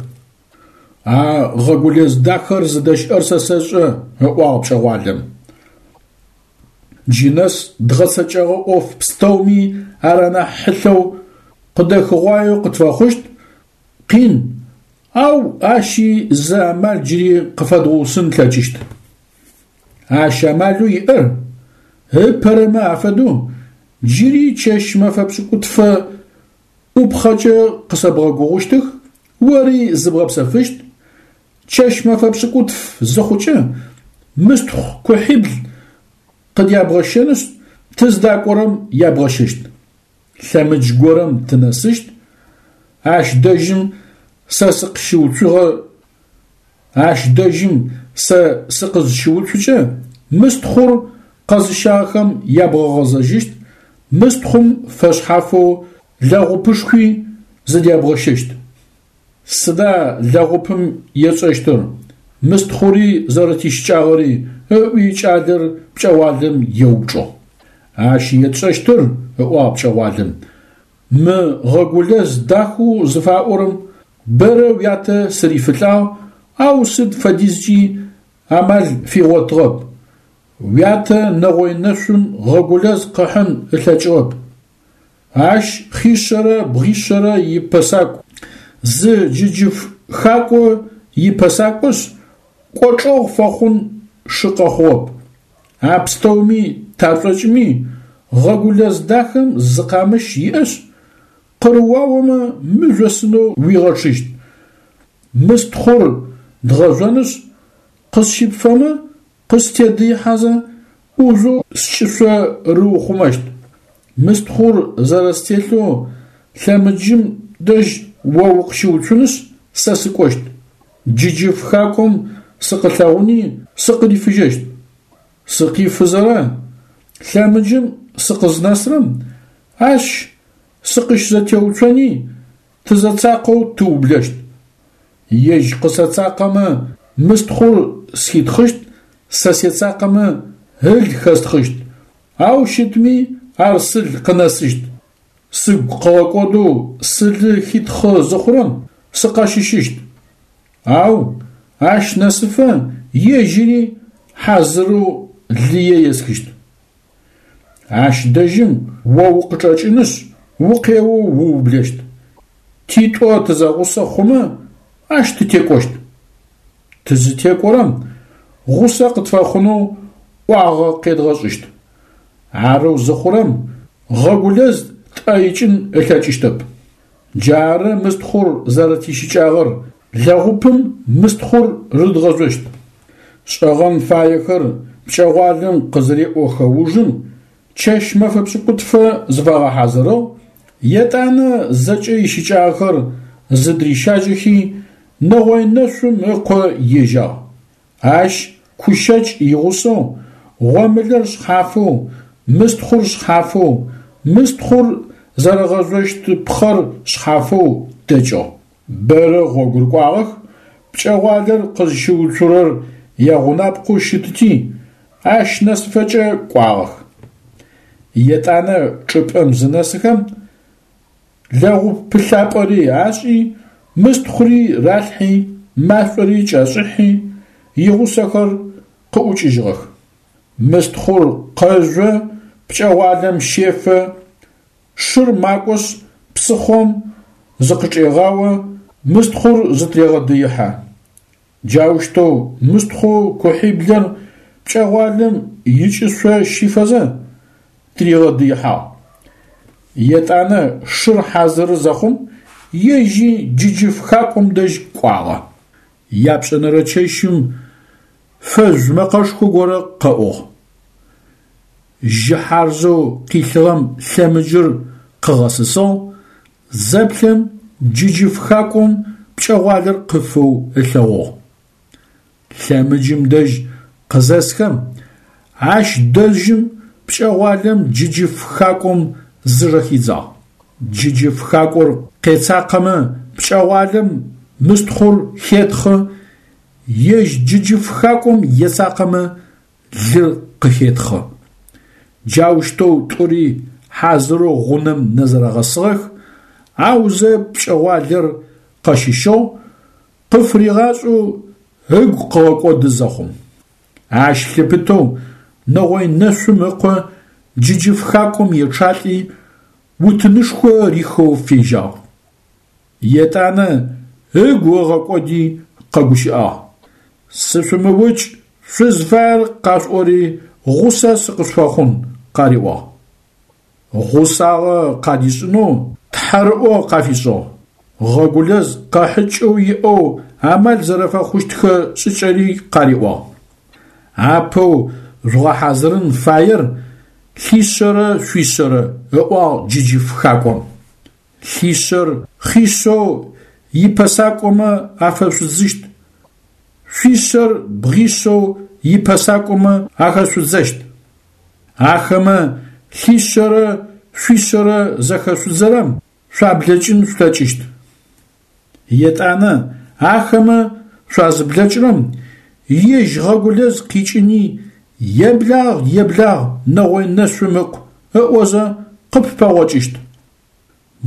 А гъэгулэз дахэр зыдэщыӏэр сэ сэшӏэ, – ыӏуагъ пкӏэгъуалэм. Джы нэс дгъэцэкӏэгъэ ӏоф пстэуми ар анахь хьылъэу къыдэхыгъуаеу къытфэхъущт, къин, ау ащи зы амал джыри къыфэдгъусын тлъэкӏыщт. Ащ амалэу иӏэр ыпэрэмэ афэдэу джыри чэщ-мэфэ пшӏыкӏутфэ ӏупхъэкӏэ къысэбгъэгугъущтых, ори зыбгъэпсэфыщт, чэщ-мэфэ пшӏыкӏутф зыхъукӏэ мыстхъу кухьибл къыдябгъэщэнышъ, тыздакӏорэм ябгъэщэщт. Лъэмыдж горэм тынэсыщт, ащ дэжьым сэ сыкъыщыуцугъэ, ащ дэжьым сэ сыкъызщыуцукӏэ мыстхъур къэзыщагъэхэм ябгъэгъэзэжьыщт, мыстхъум фэшъхьафэу лэгъупышхуи зыдябгъэщэщт. Сыда лэгъупым етшӏэщтыр, мыстхъури зэрэтищыкӏагъэри? – ыӏуи кӏалэр пкӏэгъуалэм еупчӏыгъ. Ащ етшӏэщтыр, – ыӏуагъ пкӏэгъуалэм, – мы гъэгулэз дахэу зыфаӏорэм бэрэ уятэ сырифылӏагъ, ау сыд фэдизкӏи амал фигъотыгъэп. Уятэ нэгъой нэшъум гъэгулэз къыхьын ылъэкӏыгъэп. Ащ хъишъэрэ бгъишъэрэ ипэсакӏу, зы джыджыф хакӏо ипэсакӏошъ, кӏочӏэгъу фэхъун шы къэхъугъэп. А пстэуми ташӏокӏми гъэгулэз дахэм зы къамыщ иӏэшъ, къырыуаомэ мыжъосынэу уигъэчъыщт. Мыстхъур дгъэжъонышъ, къысщыпфэмэ, къыстедыихьэзэ ӏужъоу скӏышъо рыухъумэщт. Мыстхъур зэрэстелъэу лъэмыджым дэжь о укъыщыуцунышъ, сэ сыкӏощт. Джыджыф хакӏом сыкъылъэгъуни сыкъырифыжьэщт. Сыкъифызэрэ лъэмыджым сыкъызнэсрэм, ащ сыкъыщызэтеуцони тызэцакъэу тыублэщт. Ежь къысэцакъэмэ мыстхъур схитхъыщт, сэ сецакъэмэ ыл хэстхъыщт, ау щытми ар сыл къынэсыщт. Сыгу къыгъэкӏодэу сылы хитхъы зыхъурэм сыкъэщыщыщт. Ау ащ нэсыфэ ежьыри хьазырэу лые есхыщт. Ащ дэжьым о укъычӏэкӏынышъ, укъеоу уублэщт. Титӏо тызэгъусэ хъумэ ащ тытекӏощт. Тызытекӏорэм гъусэ къытфэхъунэу ӏуагъэ къедгъэшӏыщт. Арэу зыхъурэм гъэгулэз тӏэ икӏын ылъэкӏыщтэп. Джары мыстхъур зэрэтищыкӏагъэр, лэгъупым мыстхъур рыдгъэжъощт. Шӏэгъэн фаехэр пкӏэгъуалэм къызыреӏохэ ужым чэщ-мэфэ пшӏыкӏутфэ зыфагъэхьазырыгъ, етӏанэ зэкӏэ ищыкӏагъэхэр зыдырищажьэхи нэгъой нэшъум ыкъо ежьагъ. Ащ кущэкӏ игъусэу, гъомылэр шъхьафэу, мыстхъур шъхьафэу, мыстхъур зэрэгъэжъощт пхъэр шъхьафэу дэкӏыгъ. Бэрэ гъогу рыкӏуагъэх, пкӏэгъуалэр къызщыуцурэр ягъунапкъэу щытыти, Ащ нэсыфэкӏэ кӏуагъэх. Етӏанэ чӏыпӏэм зынэсыхэм, лэгъупылъапӏэри ашӏи, мыстхъури ралъхьи, машӏори кӏашӏыхьи, игъусэхэр къыӏукӏыжьыгъэх. Мыстхъур къэжъо, пкӏэгъуалэм щефэ, шыр макӏошъ псыхъом зыкъычӏегъао, мыстхъур зытырегъэдыихьэ. Джаущтэу мыстхъу кухьиблыр пкӏэгъуалэм ыкӏышъо щифэзэ тыригъэдыихьагъ. Етӏанэ шыр хьазыры зэхъум, ежьи джыджыф хакӏом дэжь кӏуагъэ. Япшӏэнэрэ чэщым фэжъу мэкъэшхо горэ къэӏугъ. Жьы хьарзэу къилъыгъэм лъэмыджыр къыгъэсысыгъ, зэплъэм джыджыф хакӏом пкӏэгъуалэр къыфэу ылъэгъугъ. Лъэмыджым дэжь къызэсхэм, ащ дэжьым пкӏэгъуалэм джыджыф хакӏом зыжэхидзагъ. Джыджыф хакӏор къецакъэмэ пкӏэгъуалэм мыстхъур хетхъы, ежь джыджыф хакӏом ецакъэмэ лыр къыхетхъы. Джаущтэу тӏури хьазырэу гъунэм нэзэрэгъэсыгъэх, аузэ пкӏэгъуалэр къэщыщыгъ, къыфыригъашӏэу ыгу къыгъэкӏоды зэхъум. Ащ лъыпытэу нэгъой нэшъум ыкъо джыджыф хакӏом ечъалӏи, утынышхо рихэу фежьагъ. Етӏанэ ыгу ыгъэкӏоди къэгущыӏагъ: «Сышъумыукӏ, шъузфаер къашъуӏори гъусэ сыкъышъуфэхъун», къариӏуагъ. Гъусагъэ къадишӏынэу тхьэрыӏо къафишӏыгъ. Гъэгулэз къэхьыкӏэу иӏэу амал зэрэфэхъущтхэ шӏыкӏэри къариӏуагъ. Апэу жъугъэхьазырын фаер лъишъэрэ шъуишъэрэ, ыӏуагъ джыджыф хакӏом. Лъишъэр хъишъэу ипэсакӏомэ афэшъудзыщт, шъуишъэр бгъишъэу ипэсакӏомэ ахэшъудзэщт. Ахэмэ лъишъэрэ шъуишъэрэ зэхэшъудзэрэм шъуаблэкӏын шъулъэкӏыщт. Етӏанэ ахэмэ шъуазыблэкӏырэм, ежь Гъэгулэз къикӏыни «Еблагъ, еблагъ, нэгъой нэшъум ыкъу» ыӏозэ къыппэгъокӏыщт.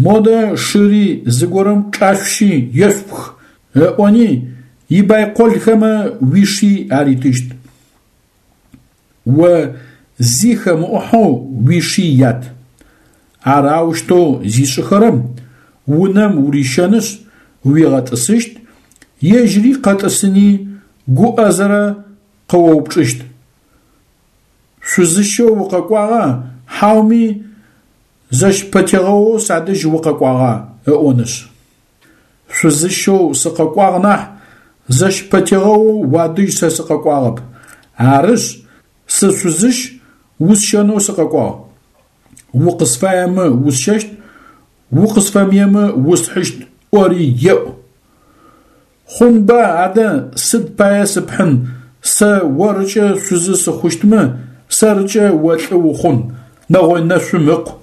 Модэ шыри зыгорэм чӏашъущи ешъупх, ыӏони ибайколхэмэ уиши аритыщт. О зи хэмыӏухьэу уиши ят. Ар аущтэу зишӏыхэрэм унэм урищэнышъ уигъэтӏысыщт, ежьыри къэтӏысыни гуӏэзэрэ къыоупчӏыщт: «Шъузыщэу укъэкӏуагъа, хьауми зэщпэтегъэоу садэжь укъэкӏуагъа?» ыӏонышъ. Шъузыщэу сыкъэкӏуагъ нахь, зэщпэтегъэоу уадэжь сэ сыкъэкӏуагъэп. Арышъ, сышъузыщ, усщэнэу сыкъэкӏуагъ. Укъысфаемэ усщэщт, укъысфэмыемэ усхьыщт ӏори еӏу. Хъунба адэ сыд пае сыпхьын, сэ орыкӏэ шъузы сыхъущтмэ, сэрыкӏэ о лӏы ухъун, нэгъой нэшъум ыкъу,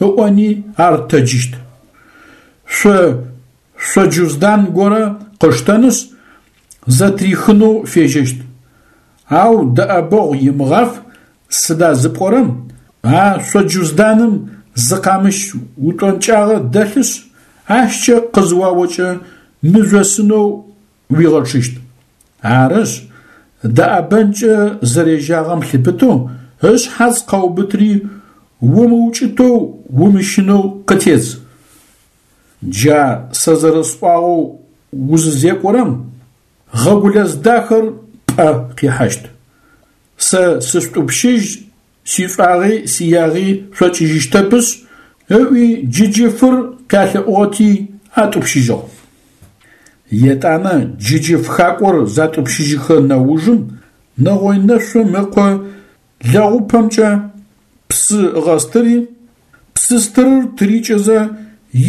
ыӏони ар тэджыщт. Шъо шъоджуздан горэ къыштэнышъ, зэтырихынэу фежьэщт. Ау дэӏэбэгъу имыгъаф, сыда зыпӏорэм, а шъоджузданым зы къамыщ утӏонкӏагъэ дэлъышъ, ащкӏэ къызыуаокӏэ мыжъосынэу уигъэчъыщт. Арышъ, дэӏэбэнкӏэ зэрежьагъэм лъыпытэу ышъхьац къэубытри умыукӏытэу умыщынэу къытедз. Джа сэ зэрэсӏуагъэу узызекӏорэм, Гъэгулэз дахэр пӏэ къихьащт. Сэ сышъутӏупщыжь, сишӏуагъи сиягъи шъокӏыжьыщтэпышъ, ыӏуи джыджыфыр къялъэӏугъэти атӏупщыжьыгъ. Етӏанэ джыджыф хакӏор затӏупщыжьыхэ нэужым нэгъой нэшъум ыкъо лэгъупэмкӏэ псы ыгъэстыри, псы стырыр тырикӏэзэ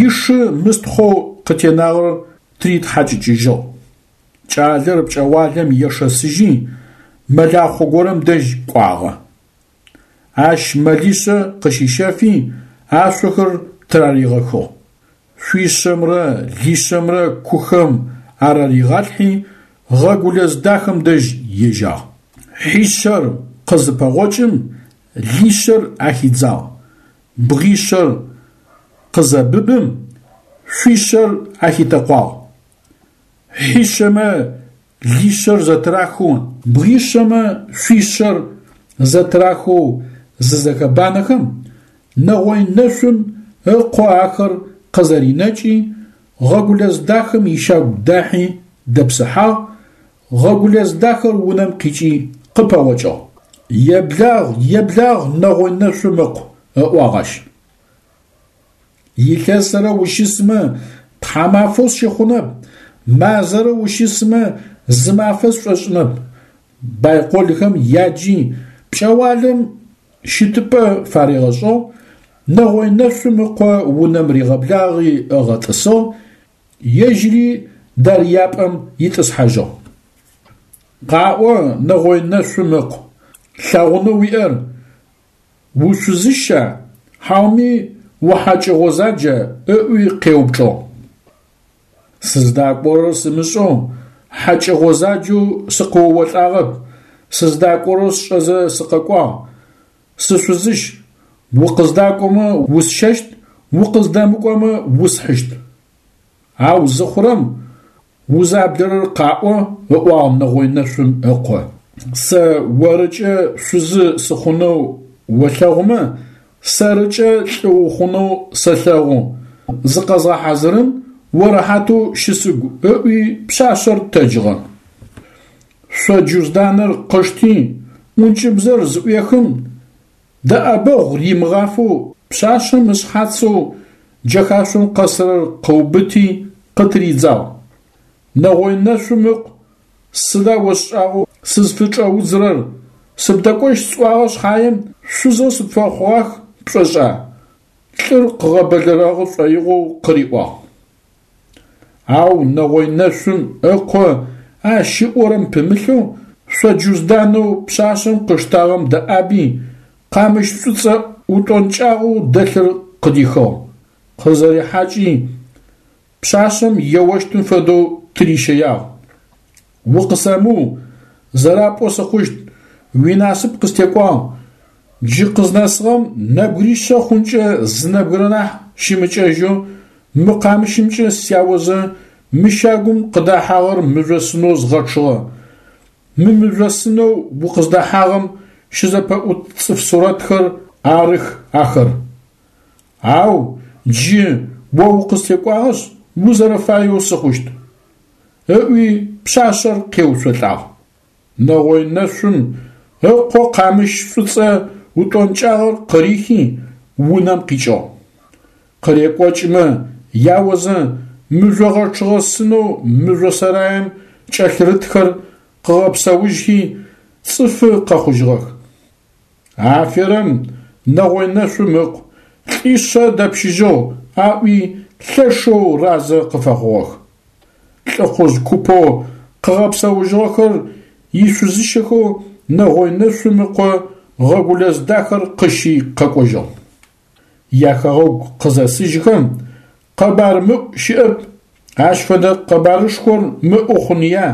ишы мыстхъоу къытенагъэр тыритхьакӏыкӏыжьыгъ. Кӏалэр пкӏэгъуалэм ешэсыжьи мэлахъо горэм дэжь кӏуагъэ. Ащ мэлишъэ къыщищэфи ашъохэр тыраригъэхыгъ. Шъуишъэмрэ лишъэмрэ кухэм араригъалъхьи Гъэгулэз дахэм дэжь ежьагъ. Хьишъэр къызыпэгъокӏым, лишъэр ахидзагъ, бгъишъэр къызэбыбым, шъуишъэр ахитэкъуагъ. Хьишъэмэ лишъэр зэтырахэу, бгъишъэмэ шъуишъэр зэтырахэу зызэхэбанэхэм, нэгъой нэшъум ыкъо ахэр къызэринэкӏи, Гъэгулэз дахэм ищагу дахьи дэпсыхьагъ, Гъэгулэз дахэр унэм къикӏи къыпэгъокӏыгъ. Еблагъ, еблагъ, нэгъой нэшъум ыкъу, ыӏуагъ ащ. Илъэсрэ ущысмэ тхьамафэу сщыхъунэп, мазэрэ ущысмэ зы мафэ сшӏошӏынэп. Байколхэм яджи пкӏэгъуалэм щытыпӏэ фаригъэшӏыгъ, нэгъой нэшъум ыкъо унэм ригъэблагъи ыгъэтӏысыгъ, ежьыри дарыяпӏэм итӏысхьажьыгъ. Къаӏо, нэгъой нэшъум ыкъу, лъэгъунэу уиӏэр, ушъузыща, хьауми ухьакӏэ гъозаджа? Ыӏуи къеупчӏыгъ. Сыздакӏорэр сымышӏэу, хьакӏэ гъозаджэу сыкъыоолӏагъэп, сыздакӏорэр сшӏэзэ сыкъэкӏуагъ, сышъузыщ, укъыздакӏомэ усщэщт, укъыздэмыкӏомэ усхьыщт. Ау зыхъурэм узаблэрэр къаӏо, ыӏуагъ нэгъой нэшъум ыкъо. Сэ орыкӏэ шъузы сыхъунэу олъэгъумэ, сэрыкӏэ лӏы ухъунэу сэлъэгъу, зыкъэзгъэхьазырын, о рэхьатэу щысыгу, ыӏуи пшъашъэр тэджыгъэ. Шъо джузданыр къышти, ӏункӏыбзэр зыӏуехым, дэӏэбэгъу римыгъафэу пшъашъэм ышъхьацэу джэхашъом къэсырэр къыубыти къытыридзагъ. Нэгъой нэшъум ыкъу, сыда осшӏагъэу сызфычӏэудзырэр, сыбдэкӏощт сӏуагъэ шъхьаем, шъузэу сыпфэхъугъах пшӏошӏа? Лӏыр къыгъэбэлэрэгъы шӏоигъоу къыриӏуагъ. Ау нэгъой нэшъум ыкъо ащ ыӏорэм пымылъэу шъо джузданэу пшъашъэм къыштагъэм дэӏаби, къамыщ шӏуцӏэ утӏонкӏагъэу дэлъыр къыдихыгъ. Къызэрихьакӏи, пшъашъэм еощтым фэдэу тырищэягъ. Укъысэмыу, зэрапӏоу сыхъущт, уинасып къыстекӏуагъ, джы къызнэсыгъэм нэбгыришъэ хъункӏэ зы нэбгырэ нахь щымыкӏэжьэу мы къамыщымкӏэ сяозэ мы щагум къыдэхьагъэр мыжъосынэу згъэчъыгъэ. Мы мыжъосынэу укъыздэхьагъэм щызэпэӏут цӏыф сурэтхэр арых ахэр. Ау джы о укъыстекӏуагъэшъ, узэрэфаеу сыхъущт, ыӏуи пшъашъэр къеуцолӏагъ. Нэгъой нэшъум ыкъо къамыщ шӏуцӏэ утӏонкӏагъэр къырихи, унэм къикӏыгъ. Къырекӏокӏымэ яозэ мыжъо гъэчъыгъэ сынэу мыжъо сэраем кӏэлъырытхэр къыгъэпсэужьхи, цӏыфы къэхъужьыгъэх. Аферэм, нэгъой нэшъум ыкъу, лӏишъэ дэпщыжьыгъ, аӏуи лъэшэу разэ къыфэхъугъэх. Лӏыхъужъ купэу къыгъэпсэужьыгъэхэр ишъузыщэхэу нэгъой нэшъум ыкъо Гъэгулэз дахэр къыщи къэкӏожьыгъ. Яхэгъэгу къызэсыжьхэм, къэбар мыӏу щыӏэп, ащ фэдэ къэбарышхор мыӏу хъуныя,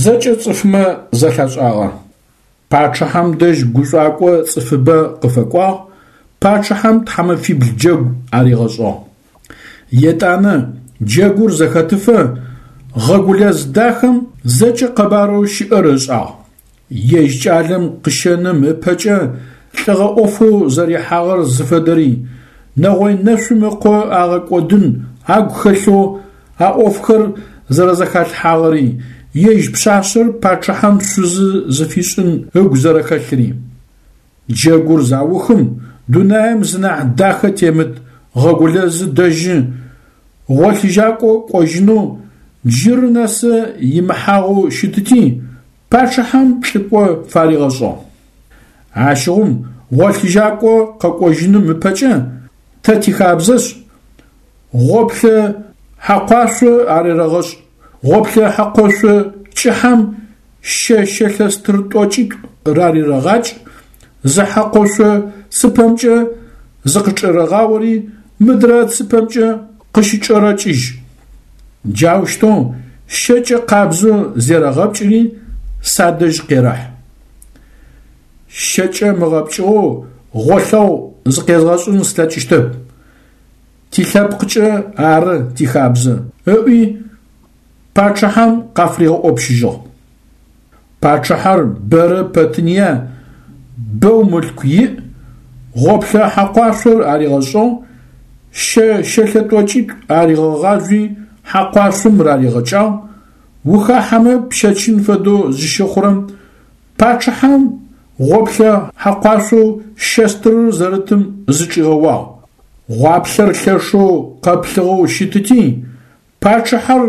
зэкӏэ цӏыфмэ зэлъашӏагъэ. Пачъыхьэм дэжь гушӏуакӏо цӏыфыбэ къыфэкӏуагъ, пачъыхьэм тхьамэфибл джэгу аригъэшӏыгъ. Етӏанэ джэгур зэхэтыфэ Гъэгулэз дахэм зэкӏэ къэбарэу щыӏэр ышӏагъ. Ежь кӏалэм къыщэным ыпэкӏэ лӏыгъэ ӏофэу зэрихьагъэр зыфэдэри, нэгъой нэшъум ыкъо агъэкӏодын агу хэлъэу а ӏофхэр зэрэзэхалъхьагъэри, ежь пшъашъэр пачъыхьэм шъузы зыфишӏын ыгу зэрэхэлъыри. Джэгур заухым, дунаим зынахь дахэ темыт Гъэгулэзы дэжьы гъолъыжьакӏо кӏожьынэу джыры нэсы имыхьагъэу щытыти, пачъыхьэм лӏыкӏо фаригъэшӏыгъ. Ащыгъум гъолъыжьакӏо къэкӏожьыным ыпэкӏэ тэ тихабзэшъ, гъоплъэ хьэкъуашъо арерэгъэшӏ, гъоплъэ хьэкъошъо кӏыхьэм щэ щэлъэ стыр тӏокӏитӏу рарерэгъакӏ, зы хьэкъошъо цыпэмкӏэ зыкъычӏерэгъаори, мыдрэ цыпэмкӏэ къыщычӏэрэкӏыжь. Джаущтэу щэкӏэ къабзэу зерэгъэпкӏыри садэжь къерэхь. щэкӏэ мыгъэпкӏыгъэу гъолъэгъу зыкъезгъэшӏын слъэкӏыщтэп. Тилъэпкъкӏэ ары тихабзэ, ыӏуи пачъыхьэм къафыригъэӏопщыжьыгъ. Пачъыхьэр бэрэ пэтыныя, бэу мылъку иӏ, гъоплъэ хьэкъуашъор аригъэшӏыгъ, щэ щэлъэ тӏокӏитӏу аригъэгъажъуи хьэкъуашъом раригъэкӏагъ, ухахьэмэ пщэчын фэдэу зыщыхъурэм, пачъыхьэм гъоплъэ хьэкъуашъоу щэ стырыр зэрытым зычӏигъэуагъ. Гъуаплъэр лъэшэу къэплъыгъэу щытыти, пачъыхьэр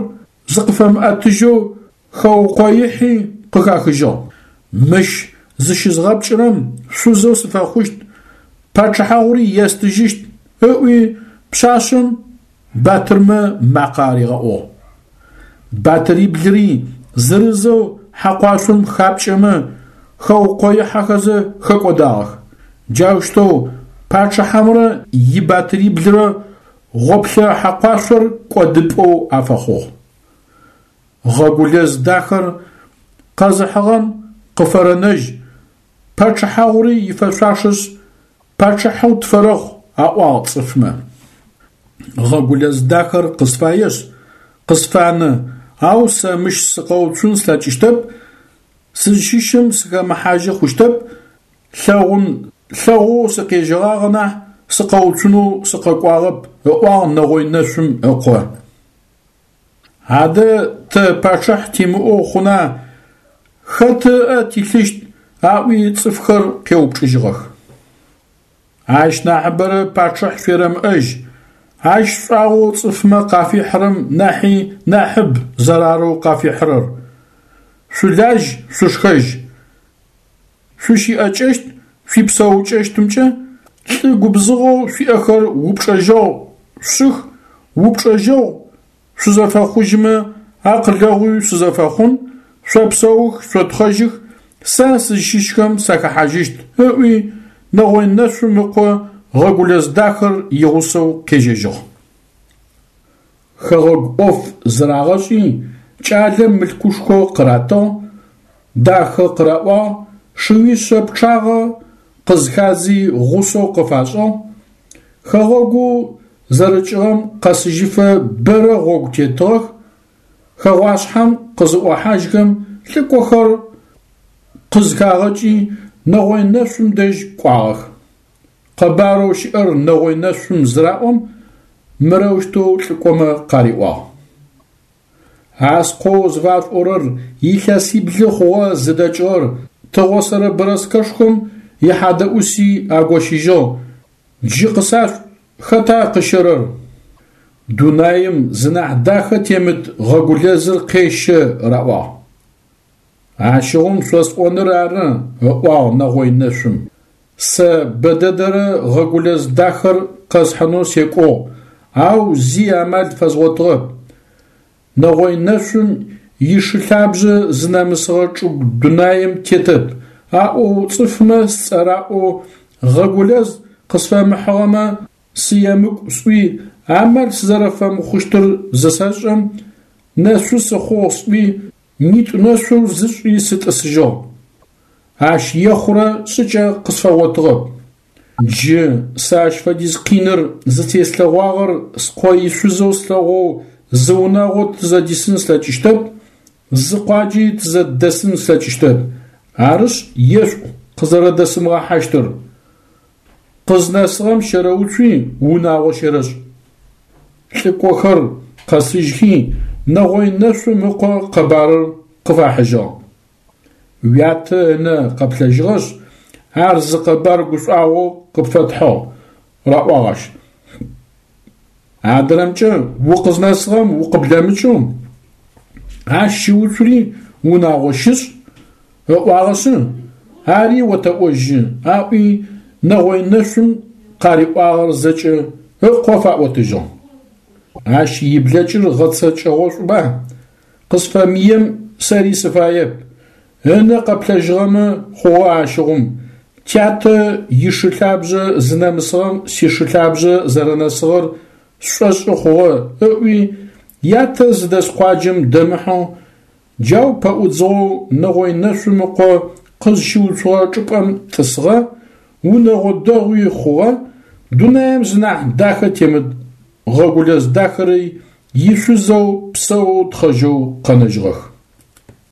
зыкъыфэмыӏэтыжьэу хэукъоихьи къыхахыжьыгъ. Мыщ зыщызгъэпкӏырэм шъузэу сыфэхъущт, пачъыхьагъури естыжьыщт, ыӏуи пшъашъэм батырмэ макъэ аригъэӏугъ. Батыриблыри зырызэу хьэкъуашъом хапкӏэмэ хэукъоихьэхэзэ хэкӏодагъэх. Джаущтэу пачъыхьэмрэ ибатыриблырэ гъоплъэ хьэкъуашъор кӏодыпӏэу афэхъугъ. Гъэгулэз дахэр къэзыхьыгъэм къыфэрэнэжь, пачъыхьагъури ифэшъуашэшъ, пачъыхьэу тфэрэхъу, аӏуагъ цӏыфмэ. Гъэгулэз дахэр къысфаешъ, къысфанэ, ау сэ мыщ сыкъэуцун слъэкӏыщтэп, сызщыщым сыхэмыхьажьы хъущтэп, лъэгъун лъэгъоу сыкъежьэгъагъэ нахь сыкъэуцунэу сыкъэкӏуагъэп, ыӏуагъ Нэгъой Нэшъум ыкъо. Адэ тэ пачъыхь тимыӏэу хъуна, хэт ыӏэ тилъыщт, аӏуи цӏыфхэр къеупчӏыжьыгъэх. Ащ нахьыбэрэ пачъыхь шъуерэмыӏэжь, ащ шӏуагъэу цӏыфмэ къафихьырэм нахьи нахьыб зэрарэу къафихьырэр. Шъулажь, шъушхэжь. Шъуищыӏэкӏэщт, шъуипсэукӏэщтымкӏэ лӏы губзыгъэу шъуиӏэхэр упчӏэжьэгъу шъушӏых, упчӏэжьэгъу шъузэфэхъужьымэ акъылэгъуи шъузэфэхъун, шъопсэух, шъотхъэжьых, сэ сызщыщхэм сахэхьажьыщт, ыӏуи Нэгъой Нэшъум ыкъо Гъэгулэз дахэр игъусэу къежьэжьыгъ. Хэгъэгу ӏоф зырагъэшӏи, кӏалэм мылъкушхо къыратыгъ, дахэ къыраӏуагъ, шыуишъэ пчъагъэ къызхадзи гъусэу къыфашӏыгъ. Хэгъэгоу зэрыкӏыгъэм къэсыжьыфэ бэрэ гъогу тетыгъэх, хэгъуашъхьэм къызыӏохьажьхэм лӏыкӏохэр къызхагъэкӏи Нэгъой Нэшъум дэжь кӏуагъэх. Къэбарэу щыӏэр Нэгъой Нэшъум зыраӏом, мырэущтэу лӏыкӏомэ къариӏуагъ. А скъоу зыфашъуӏорэр илъэсиблы хъугъэ зыдэкӏыгъэр, тыгъосэрэ бэрэскэшхом ихьадэӏуси агощыжьыгъ, джы къысашъуӏу, хэта къыщэрэр? Дунаим зынахь дахэ темыт Гъэгулэзыр къещэ, раӏуагъ. Ащыгъум шъосӏоныр ары, ыӏуагъ Нэгъой Нэшъум. Сэ бэдэдэрэ Гъэгулэз дахэр къэсхьынэу секӏугъ, ау зи амал фэзгъотыгъэп. Нэгъой Нэшъум ишылъабжъэ зынэмысыгъэ чӏыгу дунаим тетэп, аӏоу цӏыфмэ сцӏэ раӏоу Гъэгулэз къысфэмыхьыгъэмэ сыемыкӏу сӏуи амал сызэрэфэмыхъущтыр зысэшӏэм, нэшъу сыхъугъ сӏуи нитӏу нэшъу зысшӏи сытӏысыжьыгъ. Ащ ехъурэ шӏыкӏэ къысфэгъотыгъэп. Джы сэ ащ фэдиз къиныр зытеслъэгъуагъэр скъо ишъузэу слъэгъоу зы унагъо тызэдисын слъэкӏыщтэп, зы къуаджи тызэдэсын слъэкӏыщтэп. Арышъ, ешъуӏу къызэрэдэсымыгъэхьащтыр. Къызнэсыгъэм щэрэуцуи унагъо щерэшӏ. Лӏыкӏохэр къэсыжьхи Нэгъой Нэшъум ыкъо къэбарыр къыфахьыжьыгъ. Уятэ ынэ къэплъэжьыгъэшъ, ар зы къэбар гушӏуагъоу къыпфэтхьыгъ, раӏуагъ ащ. Адрэмкӏэ укъызнэсыгъэм укъыблэмыкӏэу, ащ щыуцури унагъо щышӏ, ыӏуагъэшъы, ари отэӏожьы, аӏуи Нэгъой Нэшъум къариӏуагъэр зэкӏэ ыкъо фаӏотыжьыгъ. Ащ иблэкӏыр гъэцэкӏэгъошӏуба, къысфэмыем сэри сыфаеп, ынэ къэплъэжьыгъэмэ хъугъэ ащыгъум, тятэ ишылъабжъэ зынэмысыгъэм сишылъабжъэ зэрэнэсыгъэр сшӏошӏы хъугъэ, ыӏуи ятэ зыдэс къуаджэм дэмыхьэу, джау пэӏудзыгъэу Нэгъой Нэшъум ыкъо къызщыуцугъэ чӏыпӏэм тӏысыгъэ, унэгъо дэгъуи хъугъэ, дунаим зынахь дахэ темыт Гъэгулэз дахэрэ ишъузэу псэоу тхъэжьэу къэнэжьыгъэх.